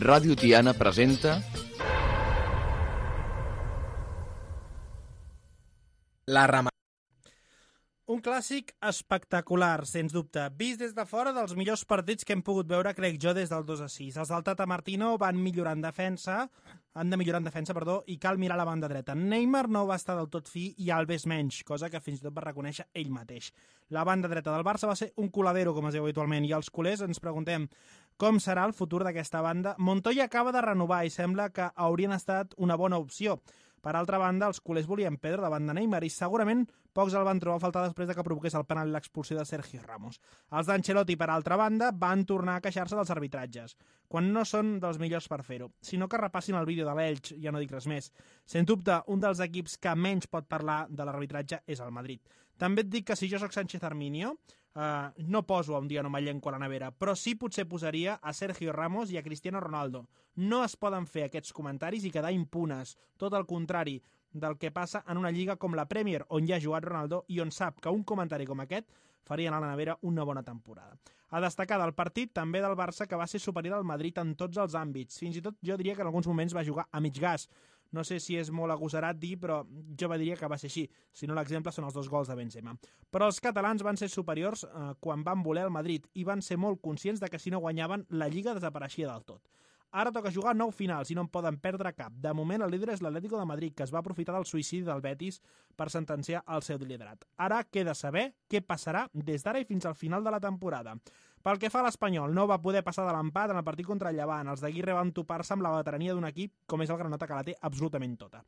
Ràdio Tiana presenta... La Ramatada. Un clàssic espectacular, sens dubte. Vist des de fora dels millors partits que hem pogut veure, crec jo, des del 2-6. Els del Tata Martino han de millorar en defensa, i cal mirar la banda dreta. Neymar no va estar del tot fi i Alves menys, cosa que fins i tot va reconèixer ell mateix. La banda dreta del Barça va ser un coladero, com es diu habitualment, i els culers ens preguntem com serà el futur d'aquesta banda. Montoya acaba de renovar i sembla que haurien estat una bona opció. Per altra banda, els culers volien Pedro davant de Neymar i segurament pocs el van trobar a faltar després de que provoqués el penal i l'expulsió de Sergio Ramos. Els d'Ancelotti, per altra banda, van tornar a queixar-se dels arbitratges, quan no són dels millors per fer-ho, sinó que repassin el vídeo de l'Elx, ja no dic res més. Sens dubte, un dels equips que menys pot parlar de l'arbitratge és el Madrid. També et dic que si jo sóc Sánchez Arminio, no poso un dia no m'allenco a la nevera, però sí potser posaria a Sergio Ramos i a Cristiano Ronaldo. No es poden fer aquests comentaris i quedar impunes. Tot el contrari del que passa en una lliga com la Premier, on hi ha jugat Ronaldo i on sap que un comentari com aquest faria anar a la nevera una bona temporada. A destacar del partit també del Barça, que va ser superior al Madrid en tots els àmbits. Fins i tot jo diria que en alguns moments va jugar a mig gas. No sé si és molt agosarat dir, però jo diria que va ser així. Si no, l'exemple són els 2 gols de Benzema. Però els catalans van ser superiors quan van voler el Madrid i van ser molt conscients de que si no guanyaven, la Lliga desapareixia del tot. Ara toca jugar 9 finals i no en poden perdre cap. De moment, el líder és l'Atlético de Madrid, que es va aprofitar del suïcidi del Betis per sentenciar el seu liderat. Ara queda saber què passarà des d'ara i fins al final de la temporada. Pel que fa a l'Espanyol, no va poder passar de l'empat en el partit contra el Llevant. Els d'Aguirre van topar-se amb la veterania d'un equip com és el Granota, que la té absolutament tota.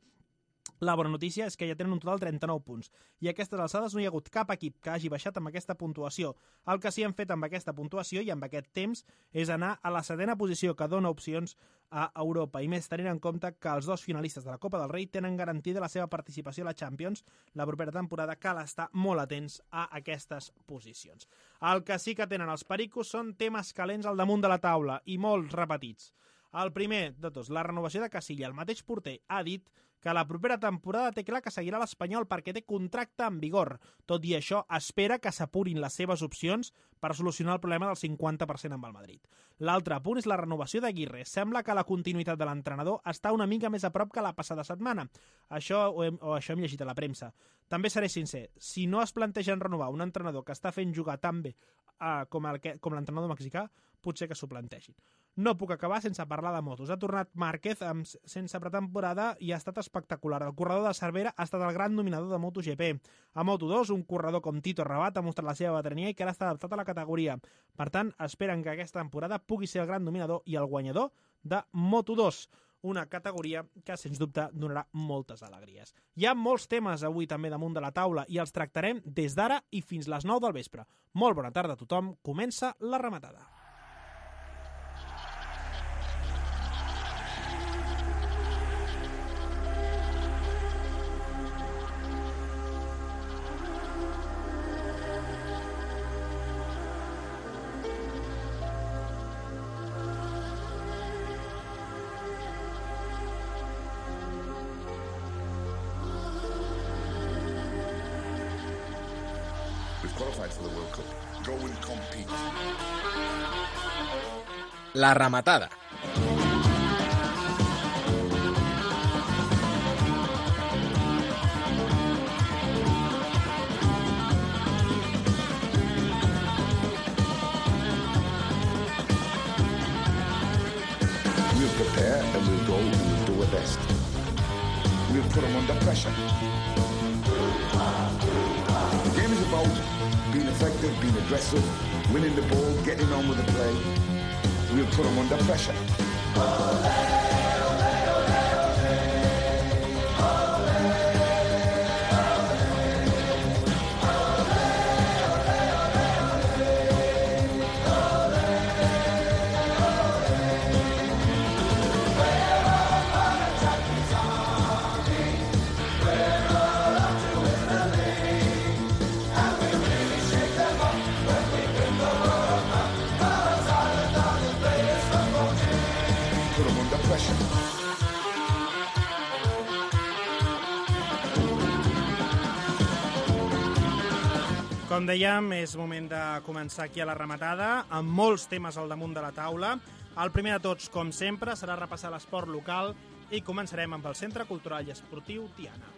La bona notícia és que ja tenen un total 39 punts i a aquestes alçades no hi ha hagut cap equip que hagi baixat amb aquesta puntuació. El que sí han fet amb aquesta puntuació i amb aquest temps és anar a la 7ª posició, que dona opcions a Europa, i més tenint en compte que els 2 finalistes de la Copa del Rei tenen garantida la seva participació a la Champions la propera temporada. Cal estar molt atents a aquestes posicions. El que sí que tenen els pericos són temes calents al damunt de la taula i molts repetits. El primer de tots, la renovació de Casilla. El mateix porter ha dit que la propera temporada té clar que seguirà l'Espanyol perquè té contracte en vigor. Tot i això, espera que s'apurin les seves opcions per solucionar el problema del 50% amb el Madrid. L'altre punt és la renovació d'Aguirre. Sembla que la continuïtat de l'entrenador està una mica més a prop que la passada setmana. Això hem llegit a la premsa. També seré sincer, si no es plantegen renovar un entrenador que està fent jugar tan bé com l'entrenador mexicà, potser que s'ho plantegin. No puc acabar sense parlar de motos. Ha tornat Márquez sense pretemporada i ha estat espectacular. El corredor de Cervera ha estat el gran dominador de MotoGP. A Moto2, un corredor com Tito Rabat ha mostrat la seva veterania i que ara està adaptat a la categoria. Per tant, esperen que aquesta temporada pugui ser el gran dominador i el guanyador de Moto2, una categoria que, sens dubte, donarà moltes alegries. Hi ha molts temes avui també damunt de la taula i els tractarem des d'ara i fins les 9 del vespre. Molt bona tarda a tothom. Comença La Ramatada. Qualified for the World Cup. Go and compete. La Ramatada. We'll prepare and we'll go and we'll do our best. We'll put them under pressure. The game is about being effective, being aggressive, winning the ball, getting on with the play. We'll put them under pressure. Com dèiem, és moment de començar aquí a La Ramatada, amb molts temes al damunt de la taula. El primer de tots, com sempre, serà repassar l'esport local i començarem amb el Centre Cultural i Esportiu Tiana.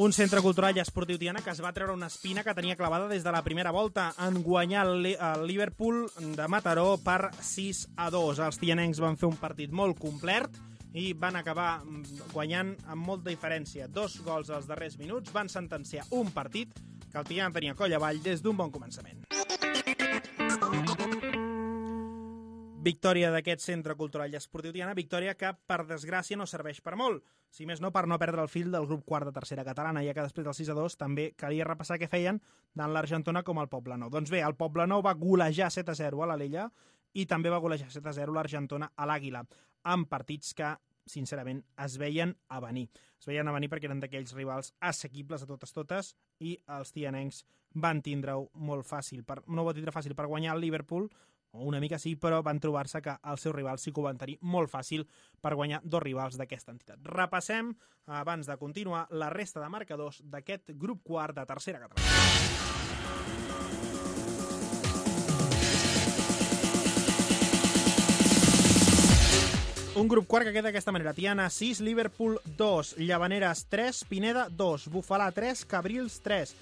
Un centre cultural i esportiu Tiana que es va treure una espina que tenia clavada des de la primera volta en guanyar el Liverpool de Mataró per 6-2. Els tianencs van fer un partit molt complet i van acabar guanyant amb molta diferència. 2 gols als darrers minuts van sentenciar un partit que el Tiana tenia coll avall des d'un bon començament. Victòria d'aquest centre cultural i esportiu Tiana, victòria que, per desgràcia, no serveix per molt. Si més no, per no perdre el fil del grup quart de tercera catalana, ja que després del 6-2 també calia repassar què feien tant l'Argentona com el Poblenou. Doncs bé, el Poblenou va golejar 7-0 a l'Alella i també va golejar 7-0 l'Argentona a l'Àguila, amb partits que, sincerament, es veien a venir. Es veien a venir perquè eren d'aquells rivals assequibles a totes i els tianencs van tindre-ho molt fàcil. No ho va tindre fàcil per guanyar el Liverpool, o una mica sí, però van trobar-se que els seus rivals sí que ho van tenir molt fàcil per guanyar 2 rivals d'aquesta entitat. Repassem, abans de continuar, la resta de marcadors d'aquest grup quart de tercera catalana. Un grup quart que queda d'aquesta manera. Tiana 6, Liverpool 2, Llavaneres 3, Pineda 2, Bufalà 3, Cabrils 3,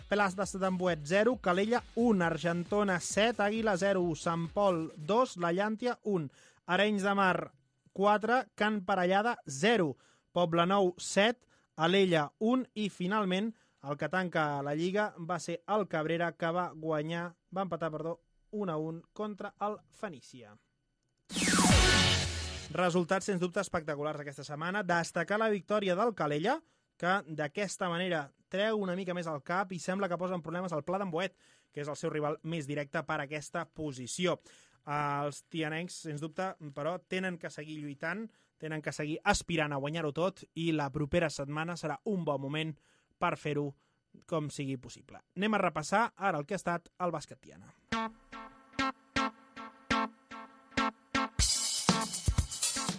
Pelas d'Ambuet 0, Calella 1, Argentona 7, Àguila 0, Sant Pol 2, La Llàntia 1, Arenys de Mar 4, Can Parellada 0, Poblenou 7, Alella 1 i finalment el que tanca la Lliga va ser el Cabrera que va empatar 1-1 contra el Fenícia. Resultats sens dubte espectaculars aquesta setmana. Destacar la victòria del Calella, que d'aquesta manera treu una mica més al cap i sembla que posa en problemes el Pla d'Ambuet, que és el seu rival més directe per a aquesta posició. Els tianencs, sens dubte, però tenen que seguir lluitant, tenen que seguir aspirant a guanyar-ho tot i la propera setmana serà un bon moment per fer-ho com sigui possible. Anem a repassar ara el que ha estat el bàsquet Tiana.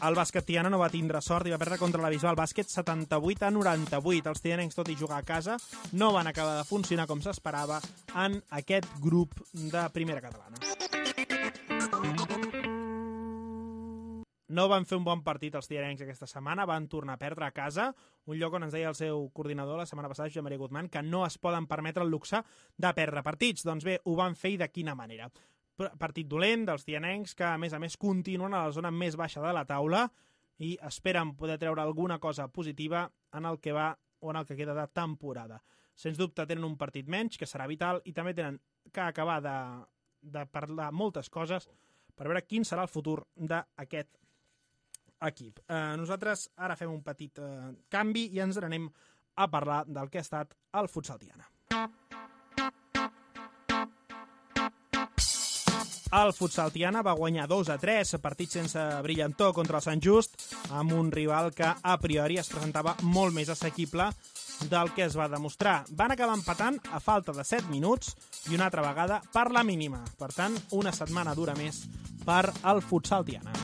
El bàsquet Tiana no va tindre sort i va perdre contra la Bisbal Bàsquet 78-98. Els tianencs, tot i jugar a casa, no van acabar de funcionar com s'esperava en aquest grup de primera catalana. No van fer un bon partit els tianencs aquesta setmana, van tornar a perdre a casa, un lloc on ens deia el seu coordinador la setmana passada, Josep Maria Guzmán, que no es poden permetre el luxe de perdre partits. Doncs bé, ho van fer i de quina manera. Partit dolent dels tianencs que, a més, continuen a la zona més baixa de la taula i esperen poder treure alguna cosa positiva en el que va o en el que queda de temporada. Sens dubte tenen un partit menys, que serà vital, i també tenen que acabar de parlar moltes coses per veure quin serà el futur d'aquest equip. Nosaltres ara fem un petit canvi i ens n'anem a parlar del que ha estat el futsal Tiana. El futsal Tiana va guanyar 2-3, partit sense brillantor contra el Sant Just, amb un rival que a priori es presentava molt més assequible del que es va demostrar. Van acabar empatant a falta de 7 minuts i una altra vegada per la mínima. Per tant, una setmana dura més per al futsal Tiana.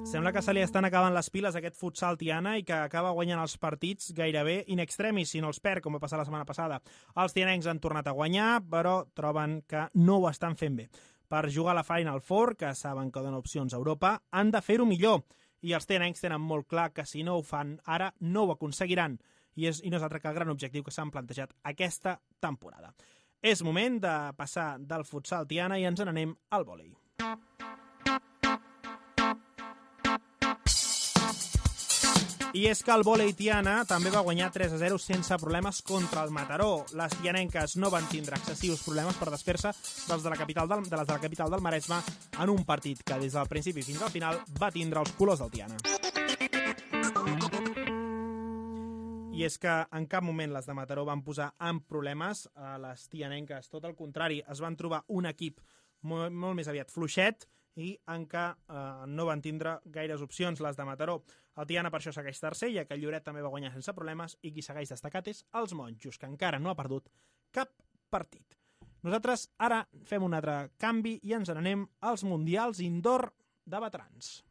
Sembla que se li estan acabant les piles a aquest futsal Tiana i que acaba guanyant els partits gairebé in extremis, si no els perd, com va passar la setmana passada. Els tianencs han tornat a guanyar, però troben que no ho estan fent bé. Per jugar a la Final Four, que saben que donen opcions a Europa, han de fer-ho millor. I els tianencs tenen molt clar que si no ho fan ara, no ho aconseguiran. I no és altre que el gran objectiu que s'han plantejat aquesta temporada. És moment de passar del futsal Tiana i ens n'anem al vòlei. I és que el vòlei Tiana també va guanyar 3-0 sense problemes contra el Mataró. Les tianenques no van tindre excessius problemes per desfer-se de les de la capital del Maresme en un partit que des del principi fins al final va tindre els colors del Tiana. I és que en cap moment les de Mataró van posar en problemes a les tianenques. Tot el contrari, es van trobar un equip molt més aviat fluixet i en què no van tindre gaires opcions les de Mataró. El Tiana per això segueix tercer, ja que el Lloret també va guanyar sense problemes i qui segueix destacat és els Monjos, que encara no ha perdut cap partit. Nosaltres ara fem un altre canvi i ens n'anem als Mundials Indoor de veterans.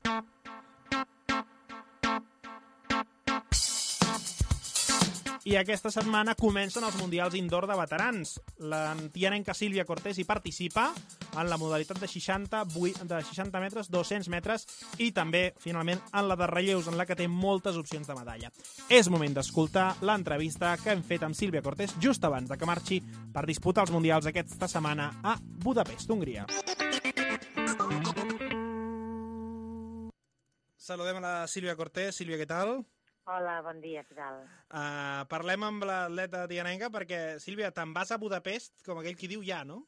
I aquesta setmana comencen els Mundials Indoor de veterans. L'antianenca Sílvia Cortés hi participa en la modalitat de 60 metres, 200 metres i també, finalment, en la de relleus, en la que té moltes opcions de medalla. És moment d'escoltar l'entrevista que hem fet amb Sílvia Cortés just abans de que marxi per disputar els Mundials aquesta setmana a Budapest, Hongria. Saludem a la Sílvia Cortés. Sílvia, què tal? Hola, bon dia, què tal? Parlem amb l'atleta tianenca perquè, Sílvia, te'n vas a Budapest, com aquell qui diu ja, no?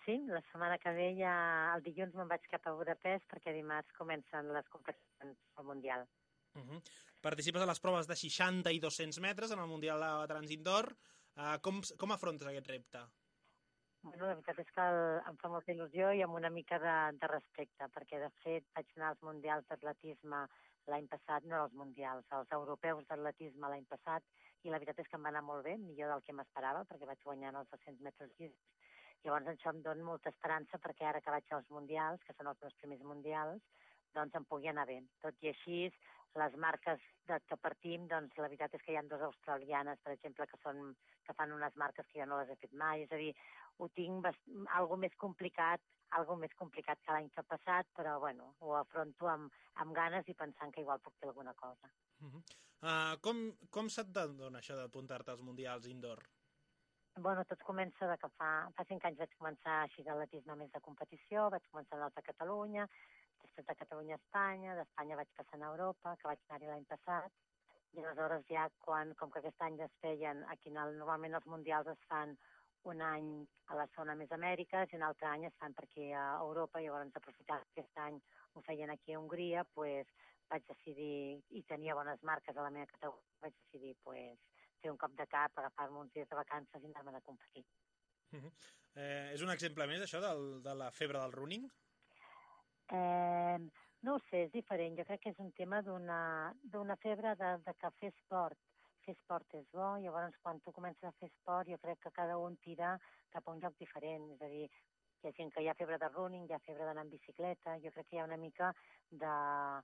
Sí, la setmana que ve ja el dilluns me'n vaig cap a Budapest perquè dimarts comencen les competicions al Mundial. Participes a les proves de 60 i 200 metres en el Mundial de Veterans Indoor. Com afrontes aquest repte? Bueno, la veritat és que em fa molta il·lusió i amb una mica de respecte, perquè de fet vaig anar als Mundials d'atletisme l'any passat, no als Mundials, als europeus d'atletisme l'any passat, i la veritat és que em va anar molt bé, millor del que m'esperava, perquè vaig guanyar en els 200 metres lliures. Llavors això em dona molta esperança perquè ara que vaig als Mundials, que són els meus primers Mundials, doncs em pugui anar bé. Tot i així, les marques que partim, doncs la veritat és que hi ha 2 australianes, per exemple, que fan unes marques que jo no les he fet mai, és a dir, ho tinc algo més complicat que l'any que ha passat, però bueno, ho afronto amb ganes i pensant que igual puc fer alguna cosa. Com se't dona això d'apuntar-te als Mundials Indoor? Bueno, tot comença de que fa 5 anys vaig començar així d'atletisme més de competició, vaig començar en a Catalunya, després de Catalunya a Espanya, d'Espanya vaig passar a Europa, que vaig anar-hi l'any passat, i aleshores ja com que aquest any es feien, aquí normalment els Mundials es fan un any a la zona més Amèriques i un altre any es fan per aquí a Europa, i llavors aprofitant que aquest any ho feien aquí a Hongria, doncs vaig decidir, i tenia bones marques a la meva categoria, vaig decidir fer un cop de cap, agafar-me uns dies de vacances i anar-me'n a competir. És un exemple més, això, de la febre del running? No ho sé, és diferent. Jo crec que és un tema d'una febre de que fer esport és bo, i llavors quan tu comences a fer esport jo crec que cada un tira cap a un lloc diferent, és a dir, hi ha gent que hi ha febre de running, hi ha febre d'anar en bicicleta, jo crec que hi ha una mica d'una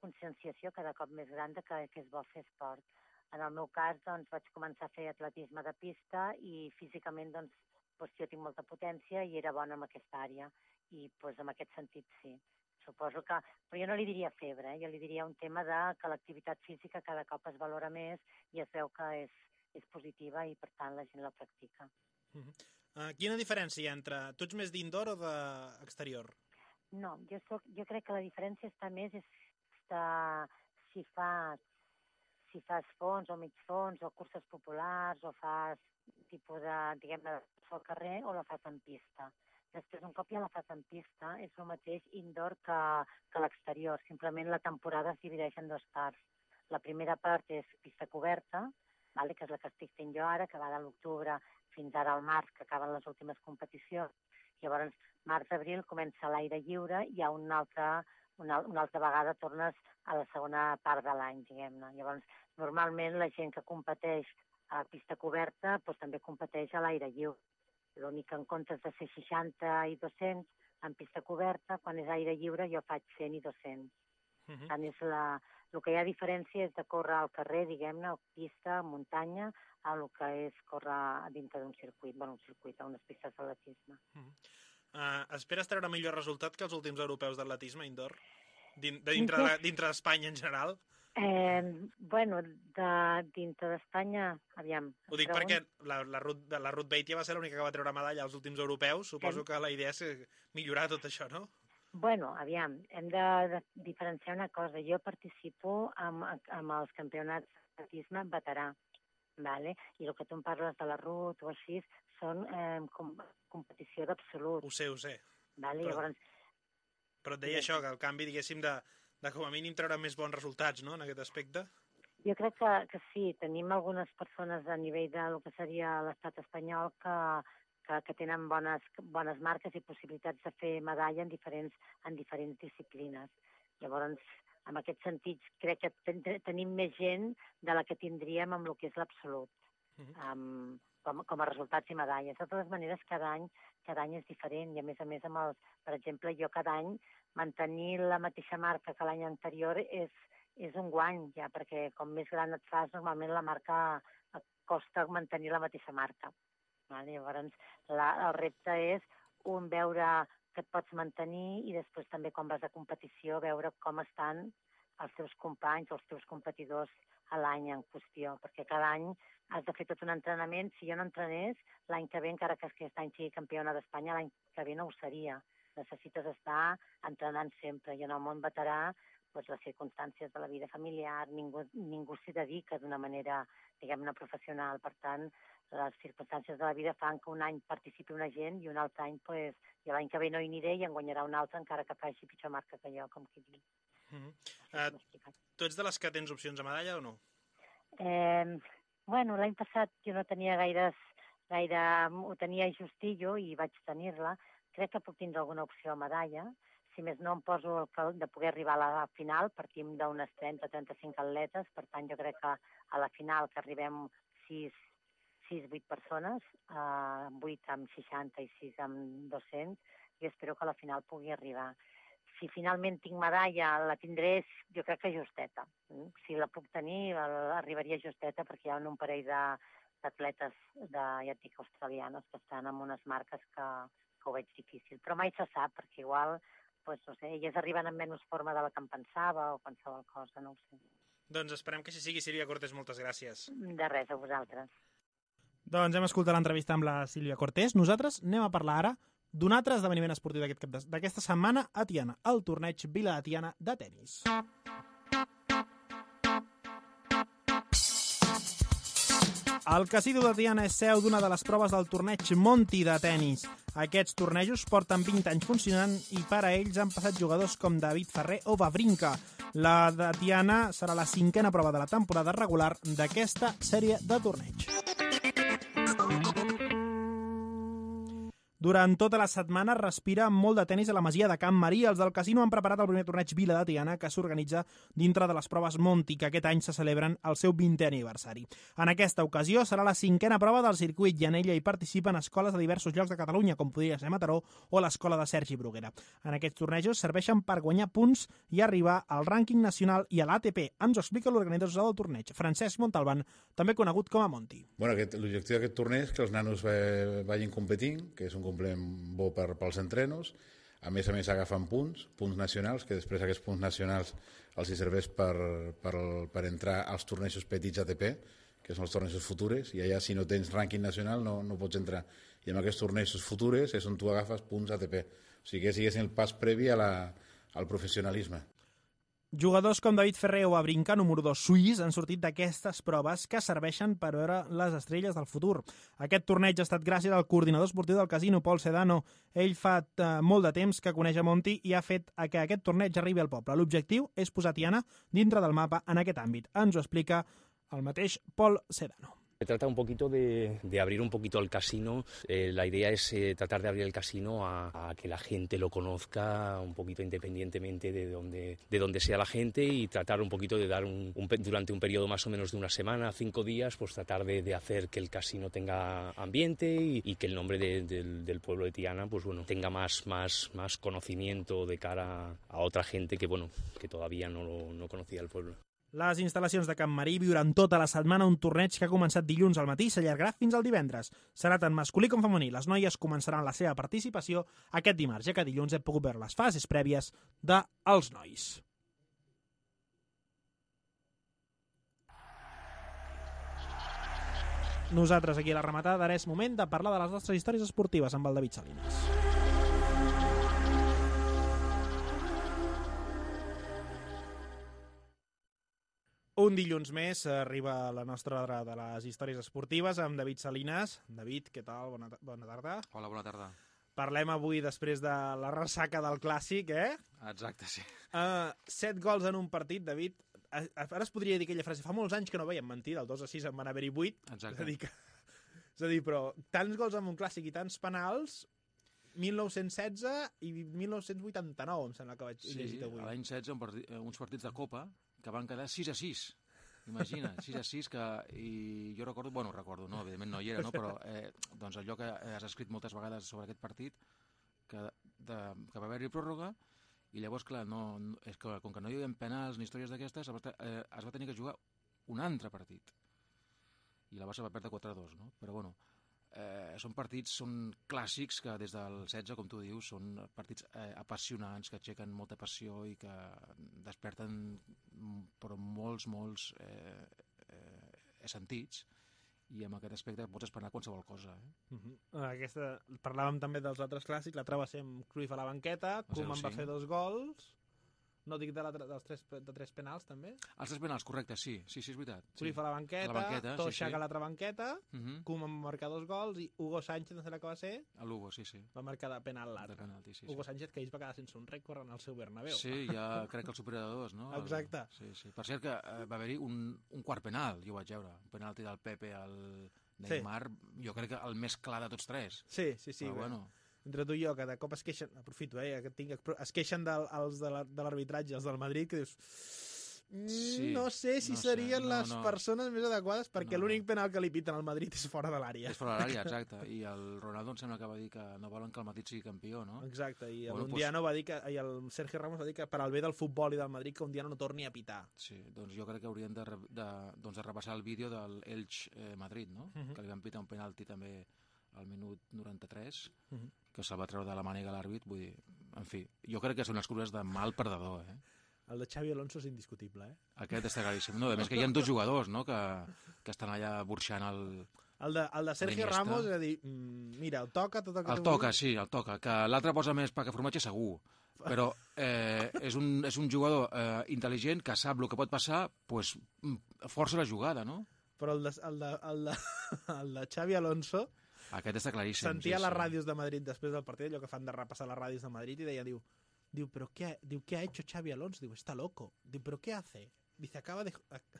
conscienciació cada cop més gran de que és bo fer esport. En el meu cas, doncs, vaig començar a fer atletisme de pista i físicament, doncs, jo tinc molta potència i era bona en aquesta àrea, i en aquest sentit sí. Suposo que... Però jo no li diria febre, jo li diria un tema que l'activitat física cada cop es valora més i es veu que és positiva i, per tant, la gent la practica. Quina diferència hi ha entre... Tu ets més d'indoor o d'exterior? No, jo crec que la diferència està més si fas fons o mig fons o curses populars o fas tipus de, diguem-ne, al carrer o la fas en pista. Després, un cop ja la fas en pista, és el mateix indoor que l'exterior. Simplement la temporada es divideix en 2 parts. La primera part és pista coberta, que és la que estic fent jo ara, que va de l'octubre fins ara al març, que acaben les últimes competicions. Llavors, març-abril comença l'aire lliure i una altra vegada tornes a la segona part de l'any, diguem-ne. Llavors, normalment la gent que competeix a pista coberta també competeix a l'aire lliure. L'únic que en comptes de ser 60 i 200 en pista coberta, quan és aire lliure jo faig 100 i 200. Tant el que hi ha diferència és de córrer al carrer, diguem-ne, o pista, muntanya, a el que és córrer dintre d'un circuit, a unes pistes d'atletisme. Esperes treure millor resultat que els últims europeus d'atletisme indoor? Dintre d'Espanya en general? Dintre d'Espanya, aviam. Ho dic perquè la Ruth Beitia va ser l'única que va treure medalla als últims europeus. Suposo que la idea és millorar tot això, no? Aviam, hem de diferenciar una cosa. Jo participo amb els campionats d'atletisme veterà, i el que tu em parles de la Ruth o així són competició d'absolut. Ho sé. Però et deia això, que el canvi, diguéssim, de com a mínim treure més bons resultats, no?, en aquest aspecte? Jo crec que sí. Tenim algunes persones a nivell del que seria l'estat espanyol que tenen bones marques i possibilitats de fer medalla en diferents disciplines. Llavors, en aquest sentit, crec que tenim més gent de la que tindríem amb el que és l'absolut. com a resultats i medalles. De totes maneres, cada any és diferent i, a més, per exemple, jo cada any mantenir la mateixa marca que l'any anterior és un guany, ja, perquè com més gran et fas, normalment la marca et costa mantenir la mateixa marca. Llavors, el repte és veure que et pots mantenir i després també quan vas a competició veure com estan els teus companys o els teus competidors a l'any en qüestió, perquè cada any has de fer tot un entrenament. Si jo no entrenés, l'any que ve, encara que aquest any sigui campiona d'Espanya, l'any que ve no ho seria. Necessites estar entrenant sempre. I en el món veterà, les circumstàncies de la vida familiar, ningú s'hi dedica d'una manera, diguem-ne, professional. Per tant, les circumstàncies de la vida fan que un any participi una gent i un altre any, jo l'any que ve no hi aniré i en guanyarà un altre, encara que faci pitjor marca que jo, com qui diu. Tu ets de les que tens opcions a medalla o no? Bueno, l'any passat jo no tenia gaire, ho tenia justillo i vaig tenir-la. Crec que puc tindre alguna opció a medalla. Si més no, em poso de poder arribar a la final. Partim d'unes 30-35 atletes, per tant, jo crec que a la final que arribem 6-8 persones, 8 amb 60 i 6 amb 200, i espero que a la final pugui arribar. Si finalment tinc medalla, la tindré, jo crec que justeta. Si la puc tenir, arribaria justeta, perquè hi ha un parell d'atletes, ja et dic, australianes, que estan amb unes marques que ho veig difícil. Però mai se sap, perquè igual, no sé, elles arriben amb menys forma de la que em pensava o qualsevol cosa, no ho sé. Doncs esperem que així sigui. Sílvia Cortés, moltes gràcies. De res, a vosaltres. Doncs hem escoltat l'entrevista amb la Sílvia Cortés. Nosaltres anem a parlar ara d'un altre esdeveniment esportiu d'aquesta setmana a Tiana, el torneig Vila de Tiana de tennis. El Casino de Tiana és seu d'una de les proves del torneig Monti de tennis. Aquests tornejos porten 20 anys funcionant i per a ells han passat jugadors com David Ferrer o Wawrinka. La de Tiana serà la 5a prova de la temporada regular d'aquesta sèrie de torneig. Durant tota la setmana respira molt de tennis a la masia de Can Marí. Els del casino han preparat el primer torneig Vila de Tiana, que s'organitza dintre de les proves Monti, que aquest any se celebren el seu 20è aniversari. En aquesta ocasió serà la 5a prova del circuit i en ella hi participen escoles de diversos llocs de Catalunya, com podria ser Mataró o l'escola de Sergi Bruguera. En aquests tornejos serveixen per guanyar punts i arribar al rànquing nacional i a l'ATP. Ens ho explica l'organitzador del torneig, Francesc Montalban, també conegut com a Monti. L'objectiu d'aquest torneig és que els nanos vagin competint, que és un complement bo pels entrenos. A més agafen punts nacionals, que després aquests punts nacionals els hi serveix per entrar als tornejos petits ATP, que són els tornejos futures, i allà si no tens rànquing nacional no pots entrar. I amb aquests tornejos futures és on tu agafes punts ATP. O sigui que siguessin el pas previ al professionalisme. Jugadors com David Ferrer o Wawrinka, número 2 suís, han sortit d'aquestes proves que serveixen per veure les estrelles del futur. Aquest torneig ha estat gràcies al coordinador esportiu del casino, Pol Sedano. Ell fa molt de temps que coneix a Monti i ha fet que aquest torneig arribi al poble. L'objectiu és posar Tiana dintre del mapa en aquest àmbit. Ens ho explica el mateix Pol Sedano. Se trata un poquito de abrir un poquito el casino. La idea es tratar de abrir el casino a que la gente lo conozca un poquito independientemente de donde sea la gente, y tratar un poquito de dar durante un periodo más o menos de una semana, 5 días, pues tratar de hacer que el casino tenga ambiente y que el nombre del pueblo de Tiana pues bueno, tenga más conocimiento de cara a otra gente que todavía no conocía el pueblo. Les instal·lacions de Can Marí viuran tota la setmana un torneig que ha començat dilluns al matí i s'allargarà fins al divendres. Serà tant masculí com femení. Les noies començaran la seva participació aquest dimarts, ja que dilluns hem pogut veure les fases prèvies dels nois. Nosaltres aquí a la rematada ara és moment de parlar de les nostres històries esportives amb el David Salinas. Un dilluns més arriba la nostra hora de les històries esportives amb David Salinas. David, què tal? Bona tarda. Hola, bona tarda. Parlem avui després de la ressaca del Clàssic, Exacte, sí. 7 gols en un partit, David. Ara es podria dir aquella frase, fa molts anys que no veiem mentir, del 2-6 en van haver-hi 8. Exacte. És a dir, però tants gols en un Clàssic i tants penals, 1916 i 1989, em sembla que vaig llegir avui. Sí, l'any 16, uns partits de Copa que van quedar 6-6. Imagina't, 6-6, i jo recordo, no, evidentment no hi era, no? Però doncs allò que has escrit moltes vegades sobre aquest partit, que va haver-hi pròrroga, i llavors, clar, és que com que no hi havia penals ni històries d'aquestes, es va tenir que jugar un altre partit. I la Barça va perdre 4-2, no? Però bueno, són clàssics que des del 16, com tu dius, són partits apassionants, que aixequen molta passió i que desperten però molts sentits, i amb aquest aspecte pots esperar qualsevol cosa. Parlàvem també dels altres clàssics, l'altre va ser amb Cruyff a la banqueta, Koeman va fer 2 gols, no dic de 3 penals també? Els 3 penals, correcte, sí, és veritat. Cruyff a la banqueta, Toshak a l'altra banqueta, Koeman va marcar 2 gols, i Hugo Sánchez, no sé la que va ser, l'Hugo, sí. Va marcar de penal l'altre. Hugo Sánchez, que ells va quedar sense un rècord en el seu Bernabéu. Sí, ja crec que el supera de 2, no? Exacte. Sí. Per cert que va haver-hi un quart penal, jo ho vaig veure, un penalti del Pepe al Neymar, jo crec que el més clar de tots 3. Sí. Però bueno... Entre tu i jo, que de cop es queixen, aprofito, es queixen els de l'arbitratge, els del Madrid, que dius... no sé si serien les persones més adequades, perquè l'únic penal que li piten al Madrid és fora de l'àrea. És fora de l'àrea, exacte. I el Ronaldo em sembla que va dir que no volen que el Madrid sigui campió, no? Exacte, i l'Undiano va dir que, i el Sergio Ramos va dir que per al bé del futbol i del Madrid que Undiano no torni a pitar. Sí, doncs jo crec que haurien de repassar el vídeo del Elche-Madrid, no? Que li van pitar un penalti també al minut 93, que se'l va treure de la màniga l'àrbit, vull dir, en fi, jo crec que són les cures de mal perdedor, El de Xavi Alonso és indiscutible, Aquest està claríssim. No, a més que hi ha 2 jugadors, no?, que estan allà burxant el de Sergio Ramos, és a dir, mira, el toca... El toca, que l'altre posa més pa que formatge segur, però és un jugador intel·ligent que sap el que pot passar, doncs força la jugada, no? Però el de Xavi Alonso... Aquest està claríssim. Sentia les ràdios de Madrid després del partit, allò que fan de repassar les ràdios de Madrid, i diu, pero ¿qué ha hecho Xavi Alonso? Diu, está loco. Diu, ¿pero qué hace? Dice,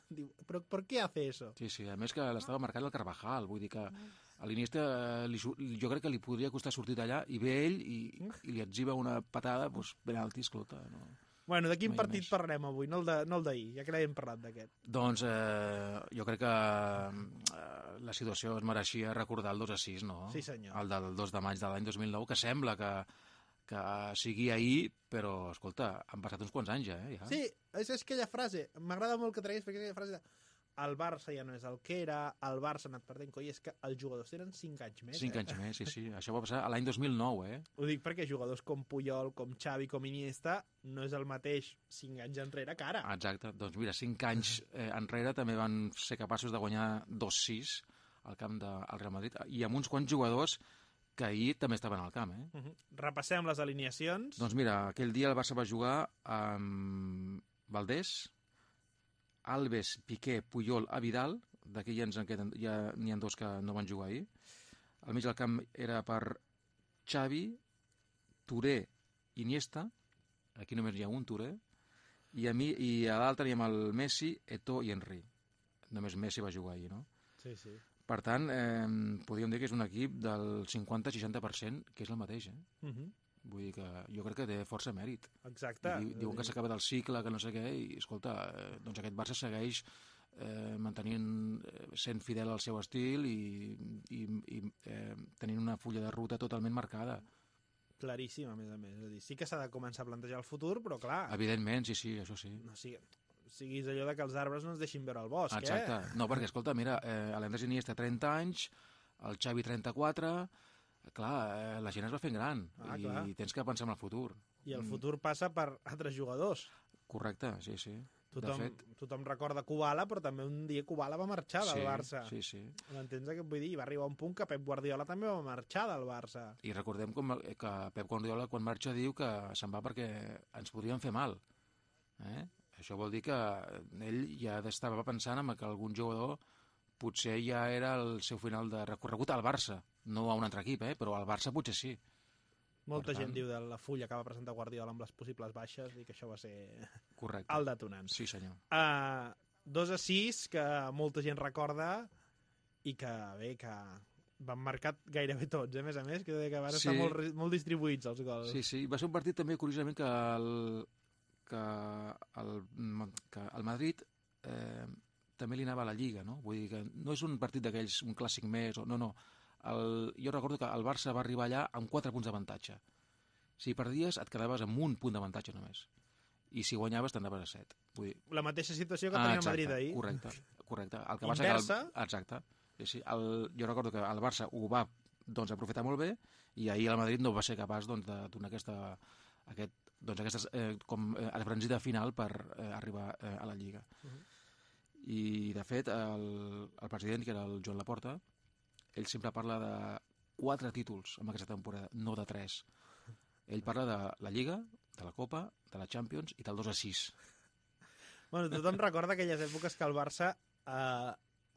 Diu, ¿pero por qué hace eso? Sí, a més que l'estava marcant el Carvajal, vull dir que a l'Iniesta jo crec que li podria costar sortir d'allà, i ve ell i li etziba una patada, doncs penalti, escolta, no... Bueno, de quin partit parlem avui? No el d'ahir, ja que l'hem parlat d'aquest. Doncs jo crec que la situació es mereixia recordar el 2-6, no? Sí, senyor. El del 2 de maig de l'any 2009, que sembla que sigui ahir, però, escolta, han passat uns quants anys, ja. Sí, és aquella frase, m'agrada molt que treguis, perquè és aquella frase de el Barça ja no és el que era, el Barça ha anat perdent, coi, és que els jugadors tenen 5 anys més. 5 anys més, sí. Això va passar l'any 2009, Ho dic perquè jugadors com Puyol, com Xavi, com Iniesta, no és el mateix 5 anys enrere que ara. Exacte. Doncs mira, 5 anys enrere també van ser capaços de guanyar 2-6 al camp del Real Madrid, i amb uns quants jugadors que ahir també estaven al camp, Repassem les alineacions. Doncs mira, aquell dia el Barça va jugar amb Valdés, Alves, Piqué, Puyol, Vidal, d'aquí ja n'hi ha 2 que no van jugar ahir. Al mig del camp era per Xavi, Touré, Iniesta, aquí només hi ha un Touré, i a l'altre hi ha el Messi, Eto'o i Henry. Només Messi va jugar ahir, no? Sí. Per tant, podríem dir que és un equip del 50-60%, que és el mateix, Vull dir que jo crec que té força mèrit. Exacte. Diuen que s'acaba del cicle, que no sé què, i escolta, doncs aquest Barça segueix sent fidel al seu estil i tenint una fulla de ruta totalment marcada. Claríssim, a més. És a dir, sí que s'ha de començar a plantejar el futur, però clar... Evidentment, sí, això sí. No siguis allò de que els arbres no ens deixin veure el bosc, Exacte. No, perquè, escolta, mira, l'Andrés Iniesta 30 anys, el Xavi 34... Clar, la gent es va fent gran i tens que pensar en el futur. I el futur passa per altres jugadors. Correcte, sí. Tothom recorda Kubala, però també un dia Kubala va marxar del Barça. Sí. M'entens què vull dir? Va arribar un punt que Pep Guardiola també va marxar del Barça. I recordem que Pep Guardiola, quan marxa, diu que se'n va perquè ens podrien fer mal. Això vol dir que ell ja estava pensant en que algun jugador potser ja era el seu final de recorregut al Barça, no a un altre equip, però al Barça potser sí. Molta gent diu de la fulla que va presentar Guardiola amb les possibles baixes i que això va ser correcte. El detonant. Sí, senyor. 2-6, que molta gent recorda i que, bé, que van marcar gairebé tots, a més, que van estar molt distribuïts els gols. Sí, va ser un partit també, curiosament, que el Madrid també li anava a la Lliga, no? Vull dir que no és un partit d'aquells, un clàssic més, no. Jo recordo que el Barça va arribar allà amb 4 punts d'avantatge. Si perdies, et quedaves amb un punt d'avantatge només. I si guanyaves, t'anaves a 7. Vull dir... La mateixa situació que tenia el Madrid ahir. Correcte. El que Inversa. Exacte. Sí. Jo recordo que el Barça ho va aprofitar molt bé i ahir el Madrid no va ser capaç de donar aquesta esbranzida final per arribar a la Lliga. I, de fet, el president, que era el Joan Laporta, ell sempre parla de 4 títols en aquesta temporada, no de 3. Ell parla de la Lliga, de la Copa, de la Champions i del 2-6. Bueno, tothom recorda aquelles èpoques que el Barça,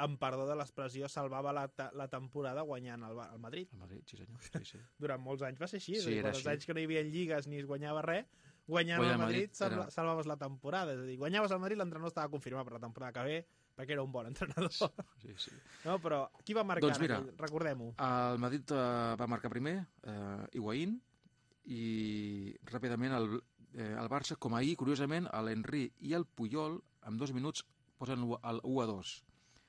amb perdó de l'expressió, salvava la temporada guanyant el Madrid. El Madrid, sí senyor. Sí. Durant molts anys va ser així. Sí, els anys que no hi havia lligues ni es guanyava res, guanyant el Madrid salvaves la temporada. És a dir, guanyaves el Madrid, l'entrenador estava confirmat per la temporada que ve, perquè era un bon entrenador. Sí. No, però qui va marcar? Doncs mira, recordem-ho. El Madrid va marcar primer, Higuaín, i ràpidament el Barça, com ahir, curiosament, l'Henry i el Puyol, en 2 minuts, posen el 1-2.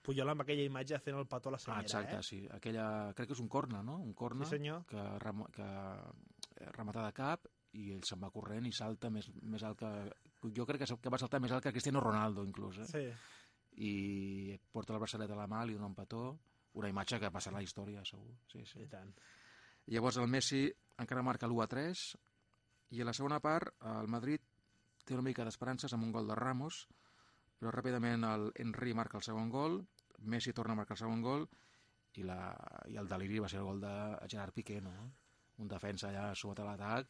Puyol amb aquella imatge fent el petó a la senyera. Exacte, sí. Crec que és un corna, no? Un corna, sí, senyor. que rematar de cap i ell se'n va corrent i salta més alt que... Jo crec que va saltar més alt que Cristiano Ronaldo, inclús. Sí. I porta el braçalet a la mà, li dona un petó, una imatge que passarà a la història, segur. Sí. I tant. Llavors el Messi encara marca l'1-3 i a la segona part el Madrid té una mica d'esperances amb un gol de Ramos, però ràpidament el Henry marca el segon gol, Messi torna a marcar el segon gol i el deliri va ser el gol de Gerard Piqué, no? Un defensa allà sota l'atac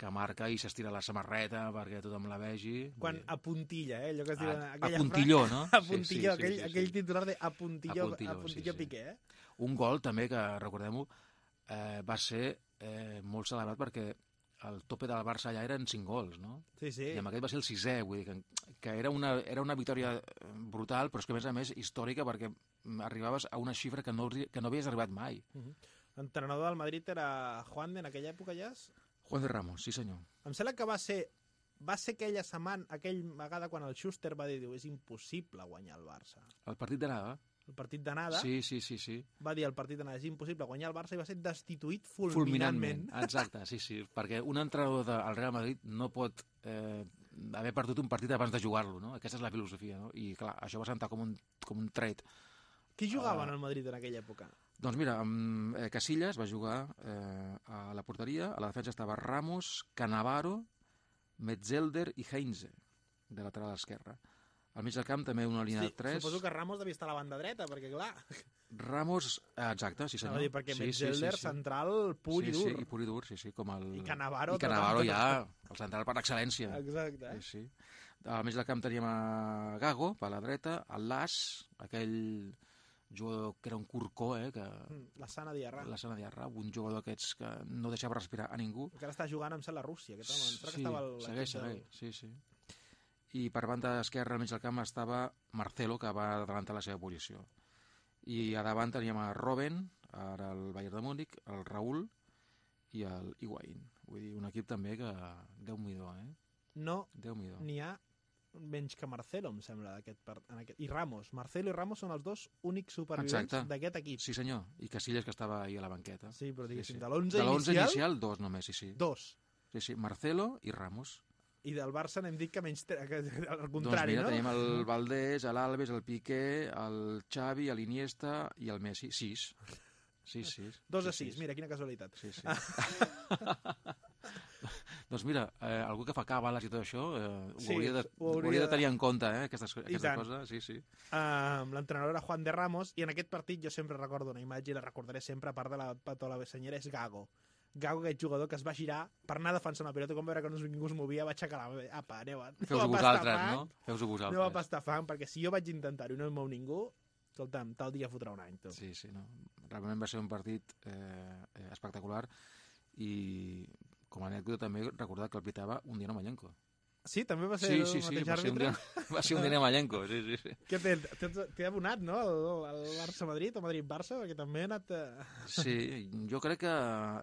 que marca i s'estira la samarreta perquè tothom la vegi. Quan apuntilla, allò que es diu... Apuntilló, no? Apuntilló, aquell titular de apuntilló Piqué, Un gol també que, recordem-ho, va ser molt celebrat perquè el tope del Barça allà eren 5 gols, no? Sí. I amb aquest va ser el 6è, vull dir que era una victòria brutal, però és que a més històrica perquè arribaves a una xifra que no havies arribat mai. L'entrenador del Madrid era Juan de en aquella època ja? Juan de Ramos, sí senyor. Em sembla que va ser aquella setmana, aquella vegada quan el Schuster va dir, és impossible guanyar el Barça. El partit d'anada? El partit d'anada. Sí. Va dir el partit d'anada, és impossible guanyar el Barça i va ser destituït fulminantment. Exacte, sí. Perquè un entrenador del Real Madrid no pot haver perdut un partit abans de jugar-lo, no? Aquesta és la filosofia, no? I clar, això va sentar com un tret. Qui jugava en el Madrid en aquella època? Doncs mira, Casillas va jugar a la porteria, a la defensa estava Ramos, Cannavaro, Metzelder i Heinze, de lateral esquerra. Al mig del camp també una línia de 3. Suposo que Ramos devia estar a la banda dreta, perquè clar... Ramos, exacte, sí senyor. Perquè Metzelder, central pur i dur. Sí, pur i dur, sí, com el... I Cannavaro ja, el central per excel·lència. Exacte. Sí. Al mig del camp teníem a Gago, per la dreta, el Las, aquell jugador que era un curcó, que... La Sana Diarra. Un jugador d'aquests que no deixava respirar a ningú. Que ara està jugant amb la Rússia, aquest home. Sí, segueix, sí. I per banda esquerra, al mig del camp, estava Marcelo, que va adelantar la seva posició. I a davant teníem a Robben, ara el Bayern de Múnich, el Raúl i el Higuaín. Vull dir, un equip també que... Déu-m'hi-do, No n'hi ha menys que Marcelo, em sembla, i Ramos. Marcelo i Ramos són els dos únics supervivents d'aquest equip. Sí, senyor. I Casillas, que estava ahí a la banqueta. Sí, però diguéssim, sí. De l'11 inicial, 2 només, sí. 2. Sí, Marcelo i Ramos. I del Barça n'hem dit que menys... al contrari, doncs mira, no? Tenim el Valdés, l'Alves, el Piqué, el Xavi, l'Iniesta i el Messi. 6. 2-6, mira, quina casualitat. Sí. Doncs mira, algú que fa càbales i tot això ho hauria de tenir en compte, aquestes coses. Sí. L'entrenador era Juan de Ramos i en aquest partit jo sempre recordo una imatge i la recordaré sempre, a part de la patola senyera, és Gago, aquest jugador que es va girar per anar defensant la pilota, com veure que ningú es movia, va aixecar la... Apa, feu-ho vosaltres, no? Feu-ho vosaltres. Aneu a pastar fang, perquè si jo vaig intentar-ho i no em mou ningú, escolta'm, tal dia fotrà un any, tu. Sí, no. Realment va ser un partit espectacular i com a anècdota també recordar que el pitava un Dino Malenko. Sí, també va ser el mateix àrbitre? Va ser un Dino Malenko, sí. Què t'he abonat, no? El Barça-Madrid o Madrid-Barça, perquè també ha anat... Sí, jo crec que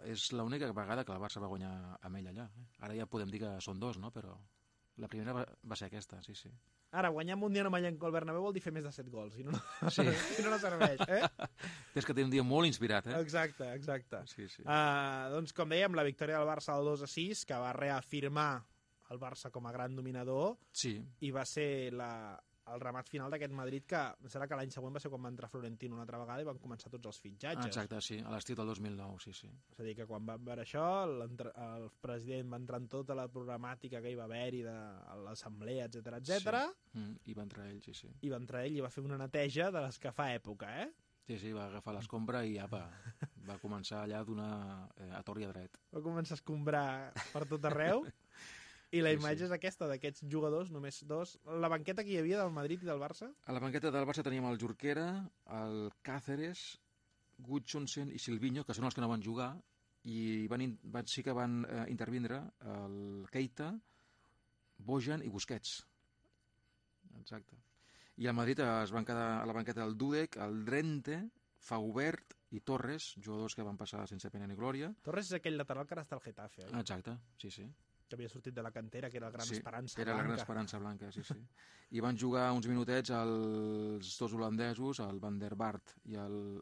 és l'única vegada que el Barça va guanyar amb ell allà. Ara ja podem dir que són 2, no? Però La primera va ser aquesta, sí. Ara, guanyar Mundial amb el Bernabéu vol dir fer més de 7 gols, si no, Sí. si no serveix, Tens que tenir un dia molt inspirat, Exacte. Sí. Doncs, com dèiem, la victòria del Barça al 2-6, que va reafirmar el Barça com a gran dominador, Sí. i va ser el remat final d'aquest Madrid, que serà que l'any següent va ser quan va entrar Florentino una altra vegada i van començar tots els fitxatges. Exacte, sí, a l'estiu del 2009, sí. És a dir, que quan van veure això, el president va entrar en tota la programàtica que hi va haver-hi de l'assemblea, etc. Sí. I va entrar ell, sí. I va entrar ell i va fer una neteja de les que fa època, Sí, va agafar l'escombra i apa, va començar allà a donar a tor i a dret. Va començar a escombrar per tot arreu. I la imatge és aquesta, d'aquests jugadors, només dos. La banqueta que hi havia del Madrid i del Barça? A la banqueta del Barça teníem el Jorquera, el Cáceres, Gudjonsen i Silvinho, que són els que no van jugar, i sí que van intervindre el Keita, Bojan i Busquets. Exacte. I al Madrid es van quedar a la banqueta el Dudek, el Drente, Faubert i Torres, jugadors que van passar sense pena ni glòria. Torres és aquell lateral que ara està al Getafe, oi? Exacte, sí. Que havia sortit de la cantera, que era la gran esperança era blanca. la gran esperança blanca, sí. I van jugar uns minutets els dos holandesos, el Van der Vaart i el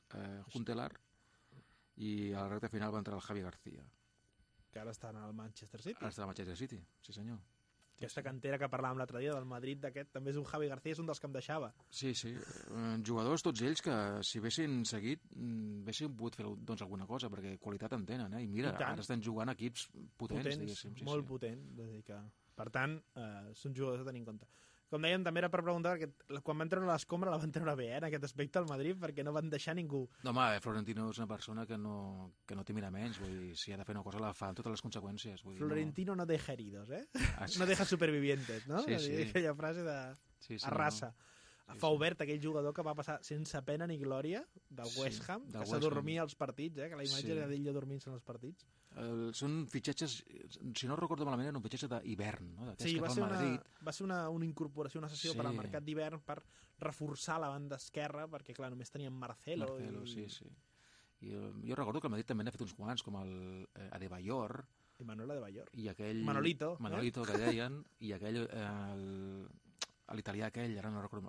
Huntelaar, i a la recta final va entrar el Javi García. Que ara està al Manchester City. Ara està al Manchester City, sí senyor. Aquesta cantera que parlàvem l'altre dia del Madrid, d'aquest, també és un Javi García, és un dels que em deixava. Sí. Jugadors tots ells que, si haguessin seguit, haguessin pogut fer alguna cosa, perquè qualitat en tenen, I mira, ara estan jugant equips potents diguéssim. Molt potents. Per tant, són jugadors a tenir en compte. Com dèiem, també era per preguntar, perquè quan van treure l'escombra la van treure bé, en aquest aspecte al Madrid, perquè no van deixar ningú. No, home, Florentino és una persona que no té miraments, vull dir, si ha de fer una cosa la fa amb totes les conseqüències. Vull dir, Florentino no deja heridos, No deja supervivientes, no? Sí. Aquella frase de arrasa. Faubert, aquell jugador que va passar sense pena ni glòria del West Ham, que s'adormia als partits, que la imatge era d'ell dormint-se als partits. Són fitxatges, si no recordo malament, era un fitxatge d'hivern, no? Sí, va ser una incorporació, una sessió per al mercat d'hivern per reforçar la banda esquerra, perquè clar, només tenien Marcelo. Sí. I jo recordo que el Madrid també n'ha fet uns quants, com el Adebayor. I Manuel Adebayor. I aquell... Manolito, que deien, i aquell... l'italià aquell, ara no recordo...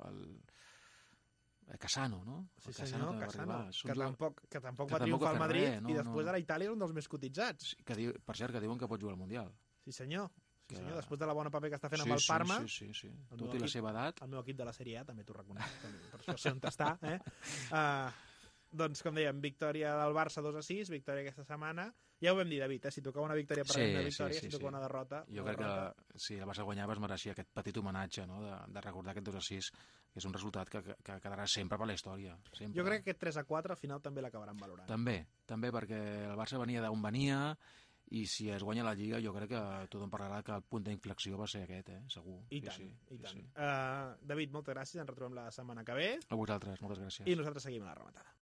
El Cassano, no? Sí, senyor, Cassano, que tampoc va tampoc triomfar al Madrid, res, no, i després a Itàlia és un dels més cotitzats. Per cert, que diuen que pot jugar al Mundial. Sí, senyor. Després de la bona paper que està fent amb el Parma. Sí. Tot i la seva edat. El meu equip de la Sèrie A, també t'ho reconec, per això sé on està. Doncs, com dèiem, victòria del Barça 2-6, victòria aquesta setmana. Ja ho vam dir, David, si tocava una victòria per una victòria, si tocava una derrota... Jo crec que si el Barça guanyava es mereixia aquest petit homenatge, no?, de recordar aquest 2-6, que és un resultat que quedarà sempre per la història. Sempre. Jo crec que aquest 3-4 al final també l'acabaran valorant. També, perquè el Barça venia d'on venia, i si es guanya la Lliga jo crec que tothom parlarà que el punt d'inflexió va ser aquest, segur. I tant. David, moltes gràcies, ens retrobem la setmana que ve. A vosaltres, moltes gràcies. I nosaltres seguim a la rematada.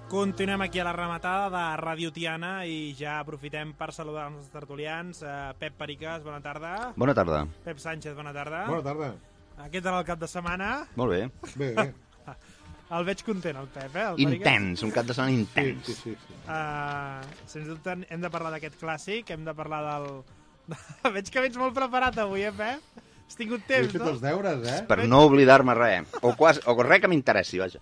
Continuem aquí a la rematada de Ràdio Tiana i ja aprofitem per saludar els nostres tertulians. Pep Pericas, bona tarda. Bona tarda. Pep Sánchez, bona tarda. Bona tarda. Què tal el cap de setmana? Molt bé. Bé. El veig content, el Pep, el intens, un cap de setmana intens. Sí. Sens dubte hem de parlar d'aquest clàssic, hem de parlar del... Veig que vens molt preparat avui, Pep? Has tingut temps, no? He fet els deures, Per no oblidar-me res. O res que m'interessi, vaja.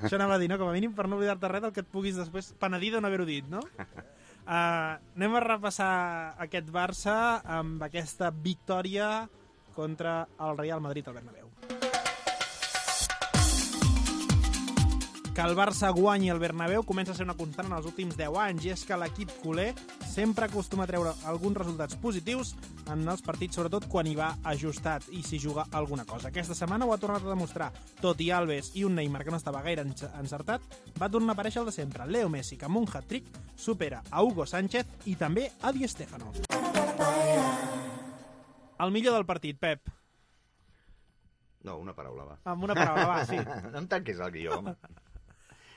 Això anava a dir, no? Com a mínim per no oblidar-te res del que et puguis després penedir de no haver-ho dit, no? Anem a repassar aquest Barça amb aquesta victòria contra el Real Madrid al Bernabéu. Que el Barça guanyi el Bernabéu comença a ser una constant en els últims 10 anys, i és que l'equip culer sempre acostuma a treure alguns resultats positius en els partits, sobretot quan hi va ajustat i s'hi juga alguna cosa. Aquesta setmana ho ha tornat a demostrar. Tot i Alves i un Neymar que no estava gaire encertat, va tornar a aparèixer el de sempre. Leo Messi, que amb un hat-trick supera a Hugo Sánchez i també a Di Stéfano. El millor del partit, Pep. No, una paraula, va. Amb una paraula, va, sí. No em tanquis el guió, home.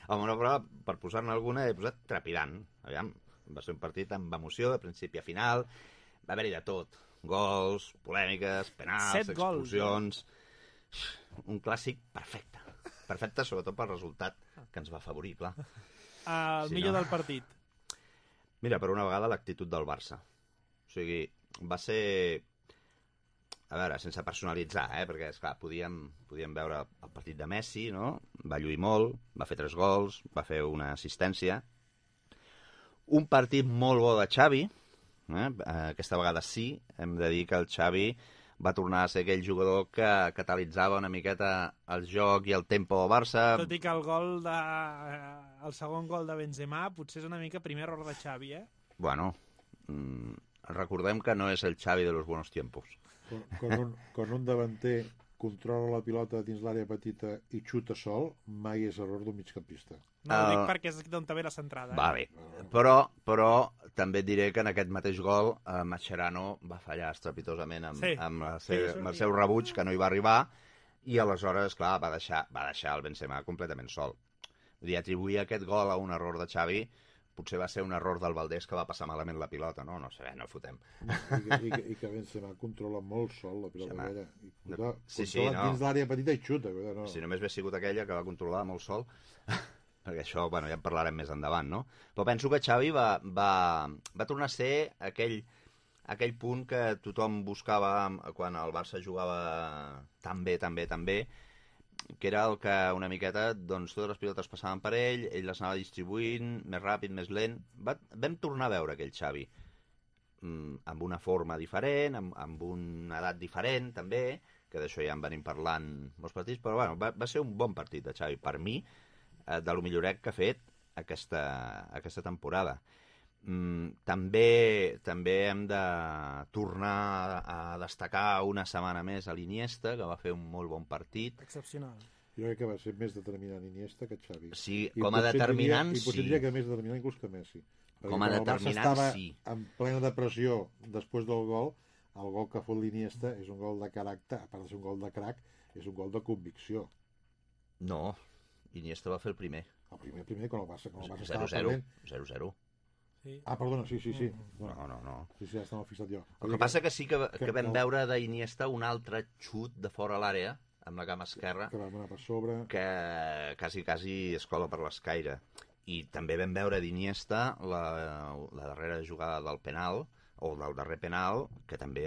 Amb una paraula, per posar-ne alguna, he posat trepidant. Aviam, va ser un partit amb emoció, de principi a final. Va haver-hi de tot. Gols, polèmiques, penals, 7 gols, expulsions... Un clàssic perfecte. Perfecte, sobretot pel resultat que ens va afavorir, clar. El millor del partit. Mira, per una vegada l'actitud del Barça. O sigui, va ser... A veure, sense personalitzar, perquè, esclar, podíem veure el partit de Messi, no? Va lluir molt, va fer 3 gols, va fer una assistència. Un partit molt bo de Xavi. Aquesta vegada sí, hem de dir que el Xavi va tornar a ser aquell jugador que catalitzava una miqueta el joc i el tempo del Barça. Tot i que el segon gol de Benzema potser és una mica primer error de Xavi, Bueno, recordem que no és el Xavi de los buenos tiempos. Quan un davanter controla la pilota dins l'àrea petita i xuta sol, mai és error d'un migcampista. No ho dic perquè és d'on ve la centrada. Va bé, però també et diré que en aquest mateix gol Mascherano va fallar estrepitosament amb el seu rebuig, que no hi va arribar, i aleshores, clar, va deixar el Benzema completament sol. Vull dir, atribuir aquest gol a un error de Xavi potser va ser un error del Valdés que va passar malament la pilota, no? No sé, no fotem. I que Benzema controla molt sol la pilota aquella. Controla dins l'àrea petita i xuta. No. Si només hagués sigut aquella que va controlar molt sol, perquè això, ja en parlarem més endavant, no? Però penso que Xavi va tornar a ser aquell punt que tothom buscava quan el Barça jugava tan bé, que era el que una miqueta, doncs, totes les pilotes passaven per ell les anava distribuint, més ràpid, més lent. Vam tornar a veure aquell Xavi amb una forma diferent, amb una edat diferent, també, que d'això ja en venim parlant molts partits, però bueno, va ser un bon partit de Xavi, per mi, de lo milloret que ha fet aquesta temporada. També hem de tornar a destacar una setmana més a l'Iniesta, que va fer un molt bon partit. Excepcional. Jo crec que va ser més determinant Iniesta que Xavi. Sí, com a determinant, sí. I potser diria que més determinant inclús que Messi. Com a determinant, sí. En plena depressió després del gol, el gol que fot l'Iniesta és un gol de caràcter, a part de ser un gol de crac, és un gol de convicció. No, Iniesta va fer el primer. El primer, quan el Barça estava perdent. 0-0. Sí. Perdona, sí. No. Sí, ja estava fixat jo. El que passa que sí que vam veure d'Iniesta un altre xut de fora a l'àrea, amb la cama esquerra, que va anar per sobre, que quasi es cola per l'escaire. I també vam veure d'Iniesta la darrera jugada del penal, o del darrer penal, que també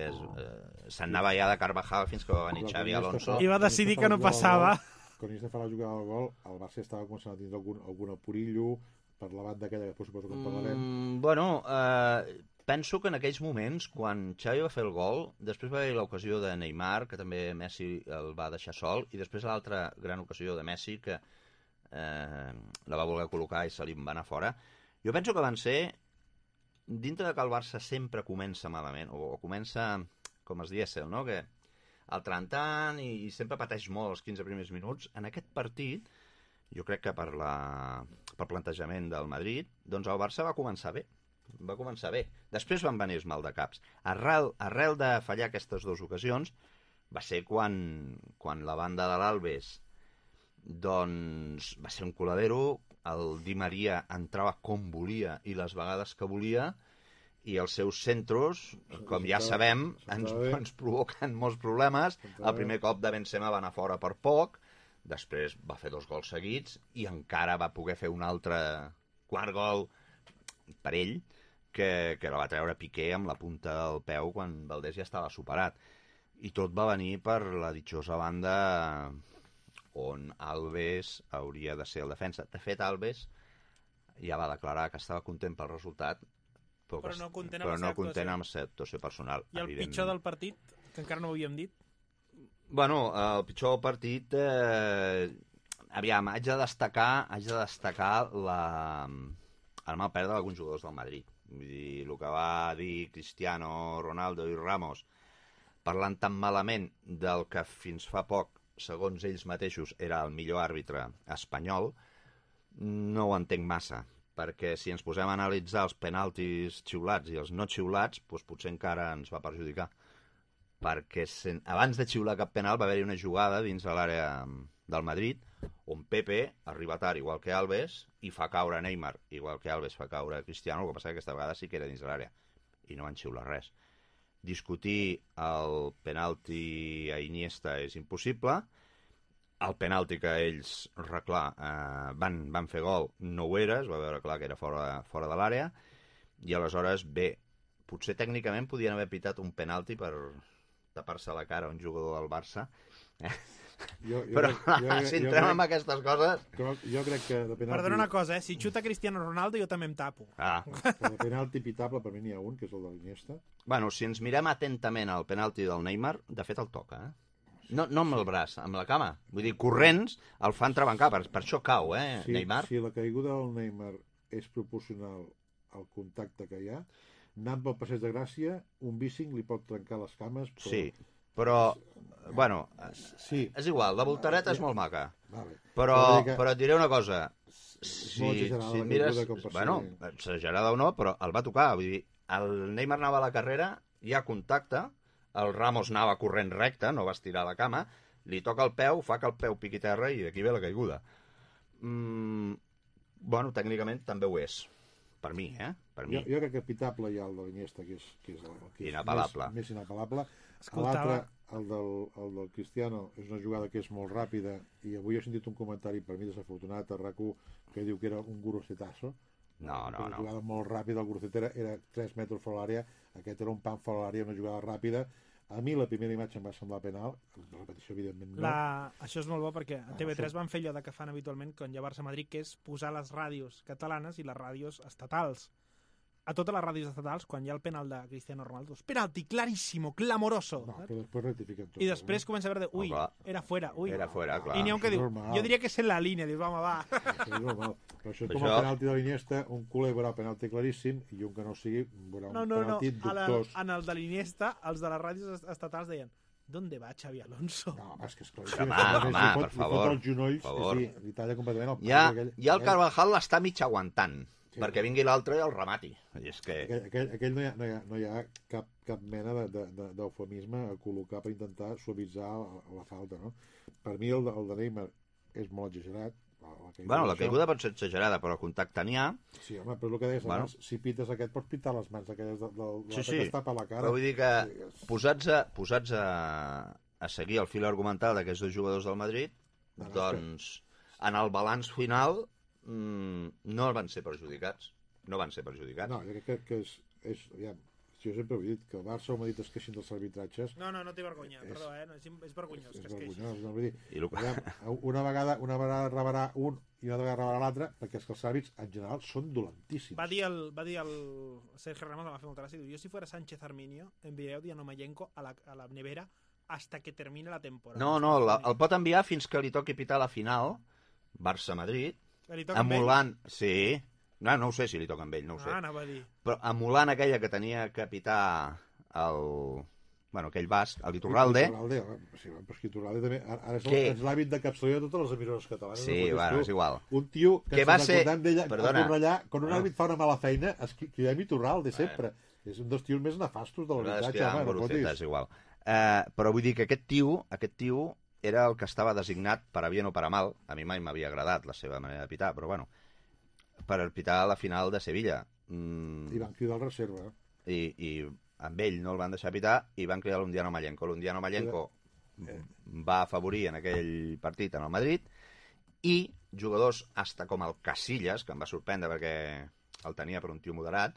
se'n anava ja de Carvajal fins que va venir Xavi Alonso. I va decidir que no passava. Quan Iniesta fa la jugada del gol, el Barça estava començant a tindre algun apurillo per la banda aquella, que després suposo que en parlarem. Bueno, penso que en aquells moments, quan Xavi va fer el gol, després va haver l'ocasió de Neymar, que també Messi el va deixar sol, i després l'altra gran ocasió de Messi, que la va voler col·locar i se li va anar fora. Jo penso que van ser, dintre de que el Barça sempre comença malament, o comença com es diésel, no?, que al trantant i sempre pateix molt els 15 primers minuts, en aquest partit, jo crec que per plantejament del Madrid, doncs el Barça va començar bé. Després van venir els maldecaps. Arrel de fallar aquestes dues ocasions, va ser quan la banda de l'Alves doncs va ser un coladero, el Di Maria entrava com volia i les vegades que volia, i els seus centros, com ja sabem, ens provoquen molts problemes. El primer cop de Benzema va anar fora per poc, després va fer 2 gols seguits i encara va poder fer un altre quart gol per ell, que la va treure Piqué amb la punta del peu quan Valdés ja estava superat. I tot va venir per la ditxosa banda on Alves hauria de ser el defensa. De fet, Alves ja va declarar que estava content pel resultat, però no content amb la seva actuació personal. I el pitjor del partit, que encara no ho havíem dit? Bueno, el pitjor del partit... Aviam, haig de destacar el mal perdre d'alguns jugadors del Madrid. Vull dir, el que va dir Cristiano, Ronaldo i Ramos, parlant tan malament del que fins fa poc, segons ells mateixos, era el millor àrbitre espanyol, no ho entenc massa, perquè si ens posem a analitzar els penaltis xiulats i els no xiulats, doncs potser encara ens va perjudicar. Perquè abans de xiular cap penal va haver-hi una jugada dins de l'àrea del Madrid on Pepe arriba tard, igual que Alves, i fa caure Neymar, igual que Alves fa caure Cristiano, el que passa que aquesta vegada sí que era dins de l'àrea i no van xiular res. discutir el penalti a Iniesta és impossible. El penalti que ells van fer gol no ho era, es va veure clar que era fora de l'àrea, i aleshores, bé, potser tècnicament podien haver pitat un penalti per tapar-se la cara a un jugador del Barça. Però si entrem en aquestes coses... Jo crec que de penalti... Perdona una cosa, si xuta Cristiano Ronaldo jo també em tapo. De penalti pitable per mi n'hi ha un, que és el de l'Iniesta. Bueno, si ens mirem atentament al penalti del Neymar, de fet el toca, No amb el braç, amb la cama. Vull dir, corrents el fan trebancar, per això cau, Neymar. Si la caiguda del Neymar és proporcional al contacte que hi ha, anant pel passeig de Gràcia, un bícing li pot trencar les cames. Sí, però, bueno, és igual, la voltareta és molt maca. Però et diré una cosa, si mires... Bueno, exagerada o no, però el va tocar. Vull dir, el Neymar anava a la carrera, hi ha contacte, el Ramos anava corrent recte, no va estirar la cama, li toca el peu, fa que el peu piqui terra i d'aquí ve la caiguda. Bueno, tècnicament també ho és. Per mi, Per mi. Jo crec que pitable hi ha el de l'Iniesta, que és inapel·lable. Més inapel·lable. L'altre, el del Cristiano, és una jugada que és molt ràpida, i avui he sentit un comentari, per mi desafortunat, a RAC1, que diu que era un gurosetazo. No. Una jugada molt ràpida, el Gurcetera era 3 metres fora l'àrea, aquest era un pam fora l'àrea, una jugada ràpida. A mi la primera imatge em va semblar penal, la repetició evidentment no. Això és molt bo perquè a TV3 van fer allò que fan habitualment quan hi ha Barça-Madrid, que és posar les ràdios catalanes i les ràdios estatals. A totes les ràdios estatals, quan hi ha el penal de Cristiano Ronaldo, és penalti claríssimo, clamoroso. No, però després rectifiquen tot. I després comença a veure, ui, era fuera, ui. Era fuera, clar. I n'hi ha un que diu, jo diria que és en la línia, dius, home, va. Això és normal. Però això com a penalti de l'Iniesta, un culer veurà penalti claríssim i un que no sigui veurà un penalti dubtós. En el de l'Iniesta, els de les ràdios estatals deien, ¿dónde va Xavi Alonso? No, és que és clar. Home, per favor. Li talla completament el ja el Carvajal l'està mig aguantant. Sí. Perquè vingui l'altre i el remati. És que... Aquell no hi ha cap mena d'eufemisme a col·locar per intentar suavitzar la falta, no? Per mi el de Neymar és molt exagerat. La caiguda pot ser exagerada, però contacte n'hi ha. Sí, home, però el que deies abans, si pites aquest, pots pitar les mans aquelles sí, que està per la cara. Però vull dir que posats a seguir el fil argumental d'aquests dos jugadors del Madrid, doncs en el balanç final no van ser perjudicats. No, jo crec que és jo sempre he dit que el Barça o el Madrid es queixin dels arbitratges. No té vergonya, perdó, és vergonyós que es queixin. No, vull dir, una vegada rebarà un i una vegada rebarà l'altre, perquè és que els àrbits en general són dolentíssims. Va dir el Sergio Ramos, va fer molta gràcia, diu, jo si fuera Sánchez Arminio enviaré a Dianomayenko a la nevera hasta que termine la temporada. No, el pot enviar fins que li toqui pitar la final, Barça-Madrid, emulant... Sí, no ho sé si li toca amb ell, no ho sé. Anava a dir. Però emulant aquella que tenia que pitar aquell basc, el Iturralde. Sí, però és que Iturralde també... Ara és l'hàbit de capçaleria de totes les emissores catalanes. Sí, és igual. Un tio que va ser... d'ella a Cornellà, quan un àrbit fa una mala feina, es cridem Iturralde sempre. És un dels tios més nefastos de l'arbitratge. És igual. Però vull dir que aquest tio era el que estava designat per a bien o per a mal. A mi mai m'havia agradat la seva manera de pitar, però bueno, per pitar la final de Sevilla. I van cridar el reserva. I amb ell no el van deixar pitar i van cridar l'Undiano Mallenko. L'Undiano Mallenko va afavorir en aquell partit en el Madrid i jugadors hasta com el Casillas, que em va sorprendre perquè el tenia per un tio moderat,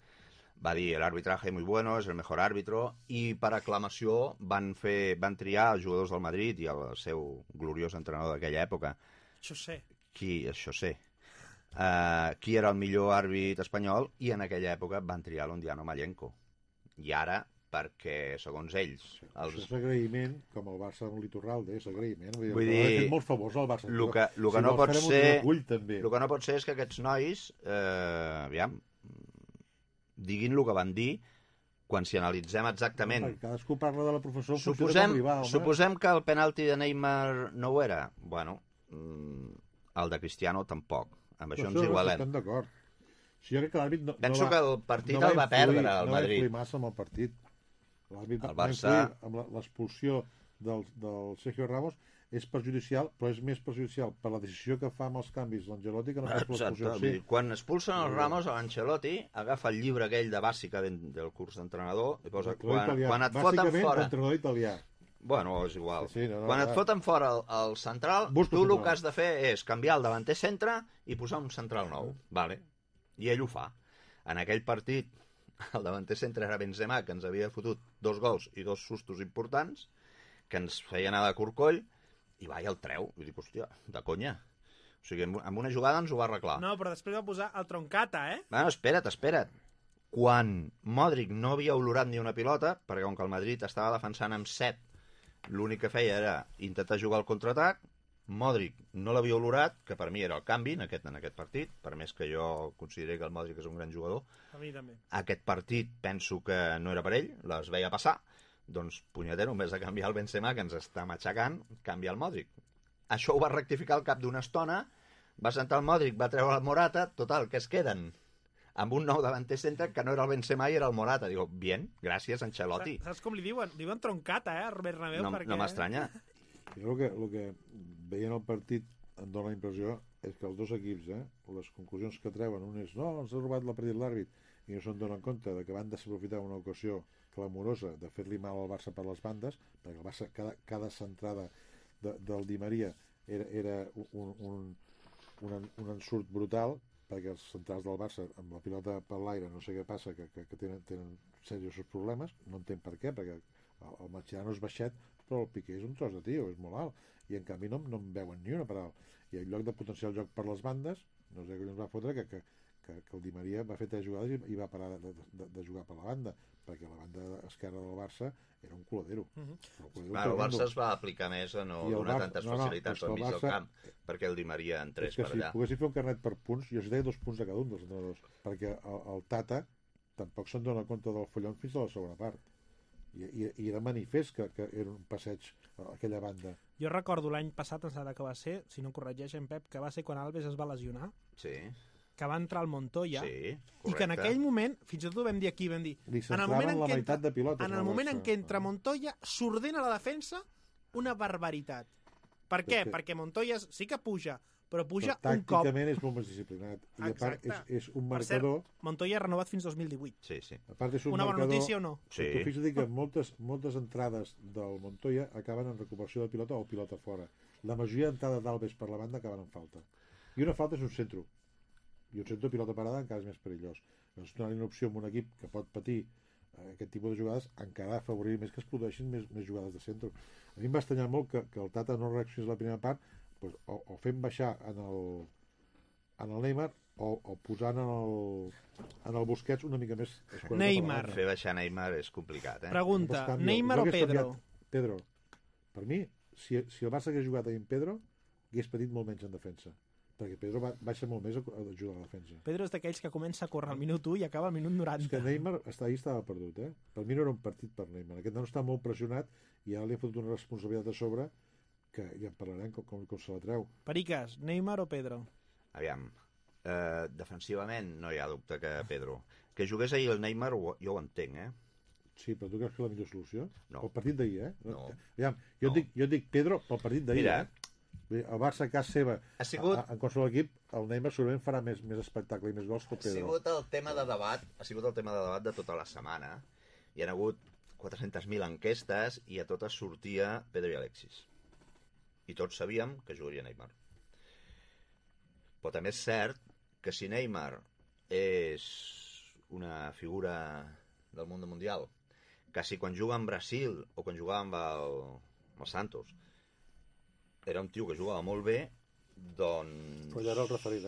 va dir el arbitraje muy bueno, és el mejor árbitro, i per aclamació van triar els jugadors del Madrid i el seu gloriós entrenador d'aquella època. José. Qui era el millor àrbit espanyol, i en aquella època van triar l'Undiano Mallenko. I ara, perquè, segons ells... Això és agraïment, com el Barça amb l'Iturralde, és agraïment. Vull dir... Ha fet molt favors al Barça. El que no pot ser és que aquests nois, diguin el que van dir quan si analitzem exactament... Cadascú parla de la professora... Suposem que el penalti de Neymar no ho era. Bueno, el de Cristiano tampoc. Amb això ens igualem. Estem d'acord. Jo crec que l'àrbit penso que el partit el va perdre al Madrid. No va influir massa amb el partit. L'àrbit va Barça... influir amb l'expulsió del Sergio Ramos és perjudicial, però és més perjudicial per la decisió que fa amb els canvis l'Ancelotti que no pas per l'expulsió. Sí. Quan expulsen el Ramos, l'Ancelotti agafa el llibre aquell de bàsica del curs d'entrenador i posa quan et foten fora... Entrenador italià. Bueno, és igual. Sí, quan et foten fora el central, tu el que has de fer és canviar el davanter centre i posar un central nou. Vale. I ell ho fa. En aquell partit, el davanter centre era Benzema, que ens havia fotut 2 gols i 2 sustos importants, que ens feia anar de corcoll, i va i el treu. I dic, hòstia, de conya. O sigui, amb una jugada ens ho va arreglar. No, però després va posar el Troncata, eh? Bueno, espera't. Quan Modric no havia olorat ni una pilota, perquè com que el Madrid estava defensant amb 7, l'únic que feia era intentar jugar al contraatac, Modric no l'havia olorat, que per mi era el canvi en aquest partit, per més que jo consideri que el Modric és un gran jugador. A mi també. Aquest partit penso que no era per ell, les veia passar, doncs punyetero, en vez de canviar el Benzema, que ens està matxacant, canvia el Modric. Això ho va rectificar al cap d'una estona, va sentar el Modric, va treure el Morata, total, que es queden amb un nou davanter centre que no era el Benzema i era el Morata. Digo, bien, gràcies, Ancelotti. Saps com li diuen? Diuen Troncata, a Bernabéu, perquè... No m'estranya. Jo el que veient el partit em dóna la impressió és que els dos equips, les conclusions que treuen, un és, no, ens ha robat la partit l'àrbit, i no se'n donen compte de que van desaprofitar una ocasió clamorosa de fer-li mal al Barça per les bandes, perquè el Barça, cada centrada del Di Maria era un ensurt brutal, perquè els centrals del Barça amb la pilota per l'aire no sé què passa, que tenen seriosos problemes, no entenc per què, perquè el Mascherano és baixet, però el Piqué és un tros de tio, és molt alt, i en canvi no en veuen ni una per alt, i en lloc de potenciar el joc per les bandes, no sé què ens va fotre que el Di Maria va fer 3 jugades i va parar de jugar per la banda, perquè la banda esquerra del Barça era un coladero. El Barça es va aplicar més a no donar tantes facilitats al mig del camp, perquè el Di Maria entrés per allà. Si poguessin fer un carnet per punts, jo deia 2 punts a cada un dels entrenadors, perquè el Tata tampoc se'n dona compte del follon fins a la segona part. I era manifest que era un passeig a aquella banda. Jo recordo l'any passat, que va ser, si no corregeix en Pep, que va ser quan Alves es va lesionar. Sí. Que va entrar al Montoya, sí, i que en aquell moment, fins i tot ho vam dir aquí, li centraven la meitat de pilotes. En el moment en què entra Montoya, s'ordena la defensa una barbaritat. Per què? Perquè Montoya sí que puja, però puja un cop. Tàcticament és molt més disciplinat. I a part és un marcador... Per cert, Montoya ha renovat fins 2018. Sí. A part és un una marcador... bona notícia o no? Sí. Tu fixa't que moltes entrades del Montoya acaben en recuperació de pilota o pilota fora. La majoria d'entrades d'Alves per la banda acaben en falta. I una falta és un centro. I un centre de pilota parada encara és més perillós. Doncs donar una opció a un equip que pot patir aquest tipus de jugades encara afavorir més que es produeixin més jugades de centre. A mi em va estranyar molt que el Tata no reaccionés la primera part, doncs, o fent baixar en el Neymar o posant en el Busquets una mica més... Neymar. Fer baixar Neymar és complicat, Pregunta, Neymar o Pedro? Pedro. Per mi, si el Barça hagués jugat amb Pedro, hagués patit molt menys en defensa. Perquè Pedro baixa molt més a ajudar a la defensa. Pedro és d'aquells que comença a córrer al minut 1 i acaba al minut 90. És que Neymar ahir estava perdut, Per mi no era un partit per Neymar. Aquest nano està molt pressionat i ara li ha fotut una responsabilitat a sobre que ja en parlarem com se la treu. Periques, Neymar o Pedro? Aviam, defensivament no hi ha dubte que Pedro. Que jugués ahir el Neymar jo ho entenc, Sí, però tu creus que és la millor solució? No. El partit d'ahir, No. Aviam, jo dic Pedro pel partit d'ahir, Mira, el Barça a casa seva, en qualsevol equip, el Neymar segurament farà més espectacle i més gols que el Pedro. Ha sigut el tema de debat de tota la setmana. Hi ha hagut 400.000 enquestes i a totes sortia Pedro i Alexis. I tots sabíem que jugaria Neymar. Però també és cert que si Neymar és una figura del món mundial, que si quan juga en Brasil o quan jugava amb el Santos era un tio que jugava molt bé, doncs... Però ja era el referit,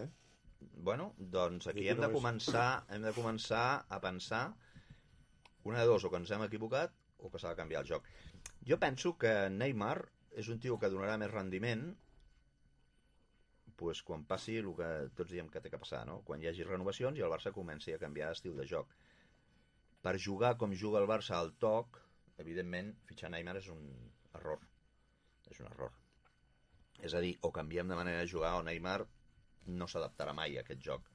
Bueno, doncs aquí hem de començar a pensar una de dos, o que ens hem equivocat o que s'ha de canviar el joc. Jo penso que Neymar és un tio que donarà més rendiment pues, quan passi el que tots diem que té que passar, no? Quan hi hagi renovacions i el Barça comenci a canviar d'estil de joc. Per jugar com juga el Barça al toc, evidentment, fitxar Neymar és un error. És un error. És a dir, o canviem de manera de jugar o Neymar no s'adaptarà mai a aquest joc.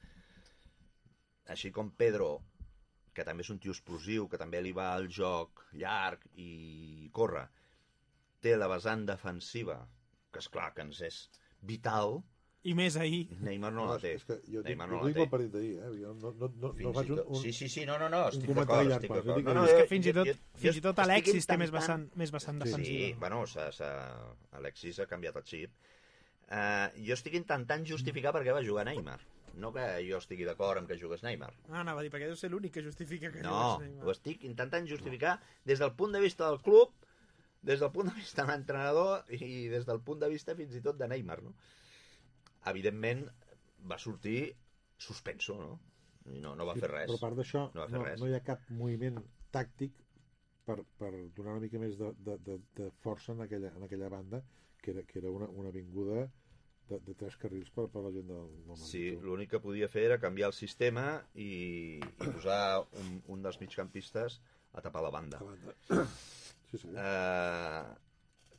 Així com Pedro, que també és un tio explosiu, que també li va al joc llarg i corre, té la vessant defensiva, que és clar que ens és vital, I més ahir. Neymar no la té. És que jo Neymar dic no la el té. partit d'ahir, Jo no faig un... Sí, no, estic comentari d'acord, llarg, estic però d'acord. dic- No, És que jo- fins i tot estic Alexis té intentant- més vessant Sí. defensiva. Sí, bueno, Alexis ha canviat el xip. Jo estic intentant justificar per què va jugar Neymar. No que jo estigui d'acord amb que jugués Neymar. Anava a dir, perquè deu ser l'únic que justifica que No, jugués Neymar. ho estic intentant justificar des del punt de vista del club, des del punt de vista de l'entrenador i des del punt de vista fins i tot de Neymar, no? Evidentment va sortir suspenso, no? I no va fer res. Però a part d'això, No va fer res. no hi ha cap moviment tàctic per donar una mica més de força en aquella banda, que era una avinguda de 3 carrils per la gent del Madrid. Sí, l'únic que podia fer era canviar el sistema i posar un dels migcampistes a tapar la banda. Sí.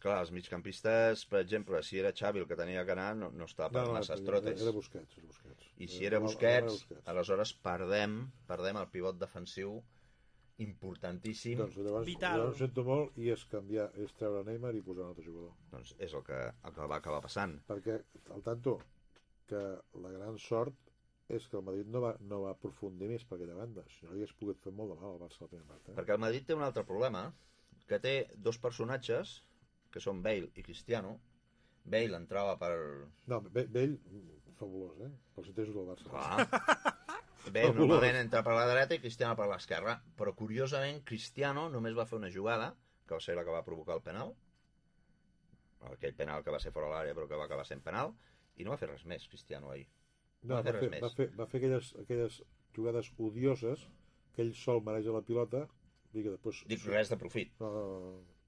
Clar, els migcampistes, per exemple, si era Xavi el que tenia que anar, no estava per masses trotes. Era Busquets. I si era Busquets, aleshores perdem el pivot defensiu importantíssim. Doncs llavors Vital. ho sento molt, i és treure Neymar i posar un altre jugador. Doncs és el que va acabar passant. Perquè, al tanto, que la gran sort és que el Madrid no va aprofundir més per aquella banda, si no hagués pogut fer molt de mal al Barça a la primera part. Perquè el Madrid té un altre problema, que té 2 personatges, que són Bale i Cristiano. Bale entrava per... No, Bale, fabulós, pels interessos del Barça. Clar. Bale normalment entra per la dreta i Cristiano per l'esquerra, però curiosament Cristiano només va fer una jugada, que va ser la que va provocar el penal, aquell penal que va ser fora de l'àrea però que va acabar sent penal, i no va fer res més Cristiano ahir. No, va fer aquelles jugades odioses que ell sol mareja la pilota i que després... Dic res de profit.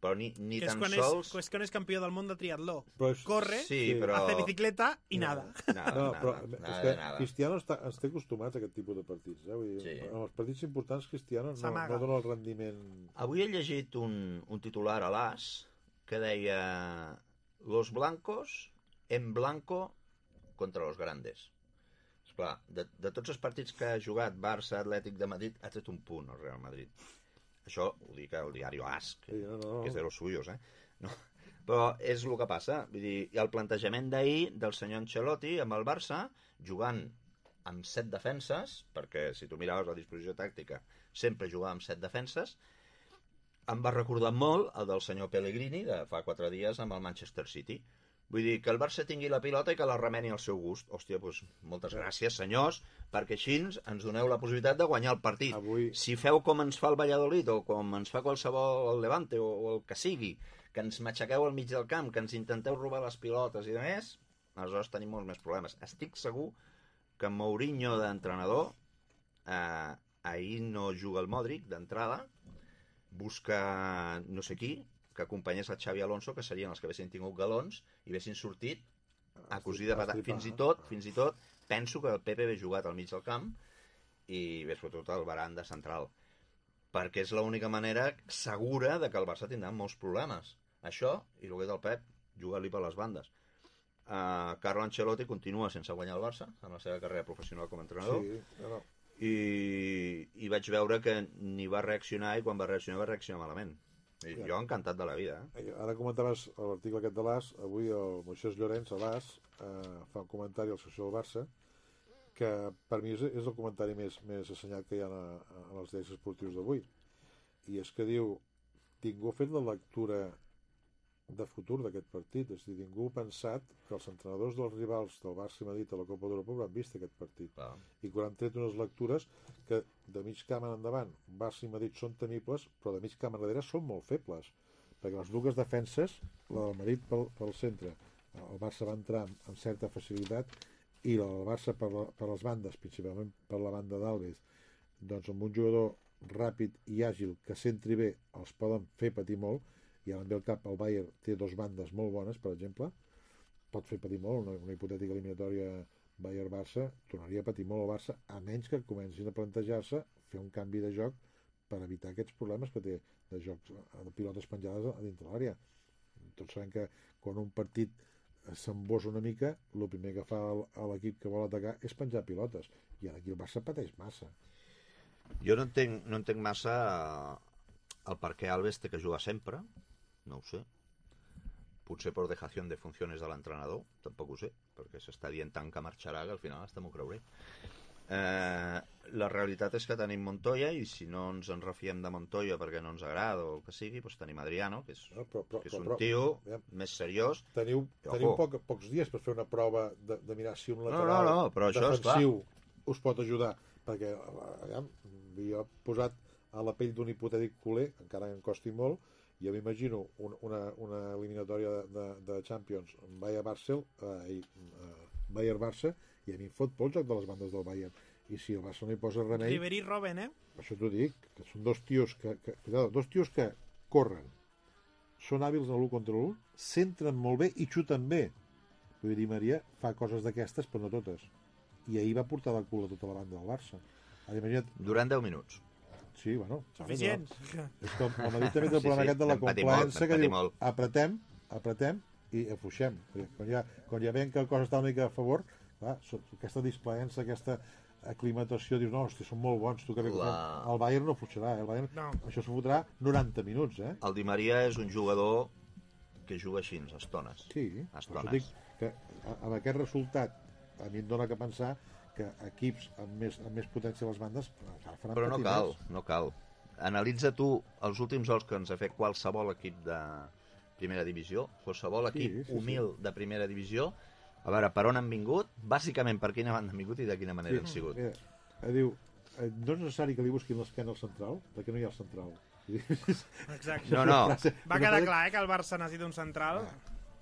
Però ni que tan sols... sols... És quan és campió del món de triatló. Però Corre, sí, però... hace bicicleta i nada. Però és que Cristiano ens té acostumats a aquest tipus de partits. Vull dir, Sí. en els partits importants Cristiano no S'amaga. dona el rendiment... Avui he llegit un titular a l'As que deia Los blancos en blanco contra los grandes. Esclar, de tots els partits que ha jugat Barça, Atlètic de Madrid, ha tret un punt el Real Madrid. Això ho dic al diari AS, que és de los suyos, No. Però és el que passa. Vull dir, i el plantejament d'ahir del senyor Ancelotti amb el Barça, jugant amb 7 defenses, perquè si tu miraves la disposició tàctica, sempre jugava amb 7 defenses, em va recordar molt el del senyor Pellegrini de fa 4 dies amb el Manchester City. Vull dir, que el Barça tingui la pilota i que la remeni al seu gust. Hòstia, doncs moltes gràcies, senyors, perquè així ens doneu la possibilitat de guanyar el partit. Si feu com ens fa el Valladolid o com ens fa qualsevol el Levante o el que sigui, que ens matxaqueu al mig del camp, que ens intenteu robar les pilotes i de més, aleshores tenim molts més problemes. Estic segur que Mourinho d'entrenador ahir no juga el Modric d'entrada, busca no sé qui que acompanyés el Xavi Alonso, que serien els que haguessin tingut galons i haguessin sortit a cosir de patat. Fins i tot penso que el Pepe hagués jugat al mig del camp i bé, sobretot al Varane de central, perquè és l'única manera segura de que el Barça tindrà molts problemes. Això, i el que del Pep, jugar-li per les bandes. Carlo Ancelotti continua sense guanyar el Barça en la seva carrera professional com a entrenador. I vaig veure que ni va reaccionar, i quan va reaccionar malament. Jo encantat de la vida. Ara comentaves l'article aquest de l'AS. Avui el Moisés Llorenç a l'AS fa un comentari a la secció del Barça que per mi és el comentari més assenyat que hi ha en els diaris esportius d'avui, i és que diu: ningú ha fet la lectura de futur d'aquest partit, és a dir, ningú ha pensat que els entrenadors dels rivals del Barça i Madrid a la Copa d'Europa hauran vist aquest partit, i que han tret unes lectures que de mig camp en endavant Barça i Madrid són temibles, però de mig camp enrere són molt febles, perquè les dues defenses, la del Madrid pel centre, el Barça va entrar amb certa facilitat, i el Barça per les bandes, principalment per la banda d'Alves, doncs amb un jugador ràpid i àgil que centri bé els poden fer patir molt. I ara em ve al cap, el Bayern té 2 bandes molt bones, per exemple, pot fer patir molt una hipotètica eliminatòria Bayern-Barça, tornaria a patir molt el Barça, a menys que comencin a plantejar-se fer un canvi de joc per evitar aquests problemes que té de jocs de pilotes penjades a dintre l'àrea. Tots sabem que quan un partit s'embossa una mica, el primer que fa l'equip que vol atacar és penjar pilotes, i ara aquí el Barça pateix massa. Jo no entenc massa el per què Alves té que jugar sempre, no ho sé. potser per dejació de funcions de l'entrenador, tampoc ho sé, perquè s'està dient tant que marxarà que al final hasta m'ho creuré. La realitat és que tenim Montoya i si no ens en refiem de Montoya perquè no ens agrada o el que sigui, doncs tenim Adriano, que és, que és un tio més seriós. Teniu pocs dies per fer una prova de mirar si un lateral però defensiu us pot ajudar, perquè jo he posat a la pell d'un hipotètic culer, encara que em costi molt, jo m'imagino una eliminatòria de Champions Bayern-Barça, i a mi em fot por el joc de les bandes del Bayern, i si el Barça no hi posa remei... Ribéry i Robben, Això t'ho dic, que són dos tios que corren, són hàbils en l'1 contra l'1, centren molt bé i xuten bé. Vull dir, Maria fa coses d'aquestes, però no totes. I ahir va portar de cul a tota la banda del Barça. Imagina't... Durant 10 minuts. Sí, bueno. Suficients. És com el Madrid també té el problema aquest de la complaença, que diu, apretem i afluixem. Quan ja veiem que el cos està una mica a favor, clar, aquesta displaença, aquesta aclimatació, dius, no, hosti, són molt bons, tu que bé que fem. El Bayern no afluixarà, el Bayern això s'ho fotrà 90 minuts, El Di Maria és un jugador que juga així, a estones. Sí, això dic que amb aquest resultat a mi em dóna que pensar que equips amb més potència a les bandes faran però no cal. Analitza tu els últims gols que ens ha fet qualsevol equip de primera divisió, qualsevol equip humil de primera divisió, a veure, per on han vingut, bàsicament per quina banda han vingut i de quina manera han sigut. Diu, no és necessari que li busquin l'esquena al central, perquè no hi ha el central. Exacte. No. Va quedar clar, que el Barça necessita un central.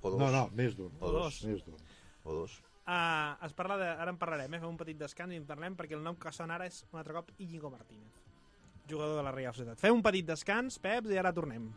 O dos. No, més d'un. O dos. Ara en parlarem, fem un petit descans i en parlem, perquè el nom que sona ara és un altre cop Íñigo Martínez, jugador de la Real Societat. Fem un petit descans, Peps, i ara tornem.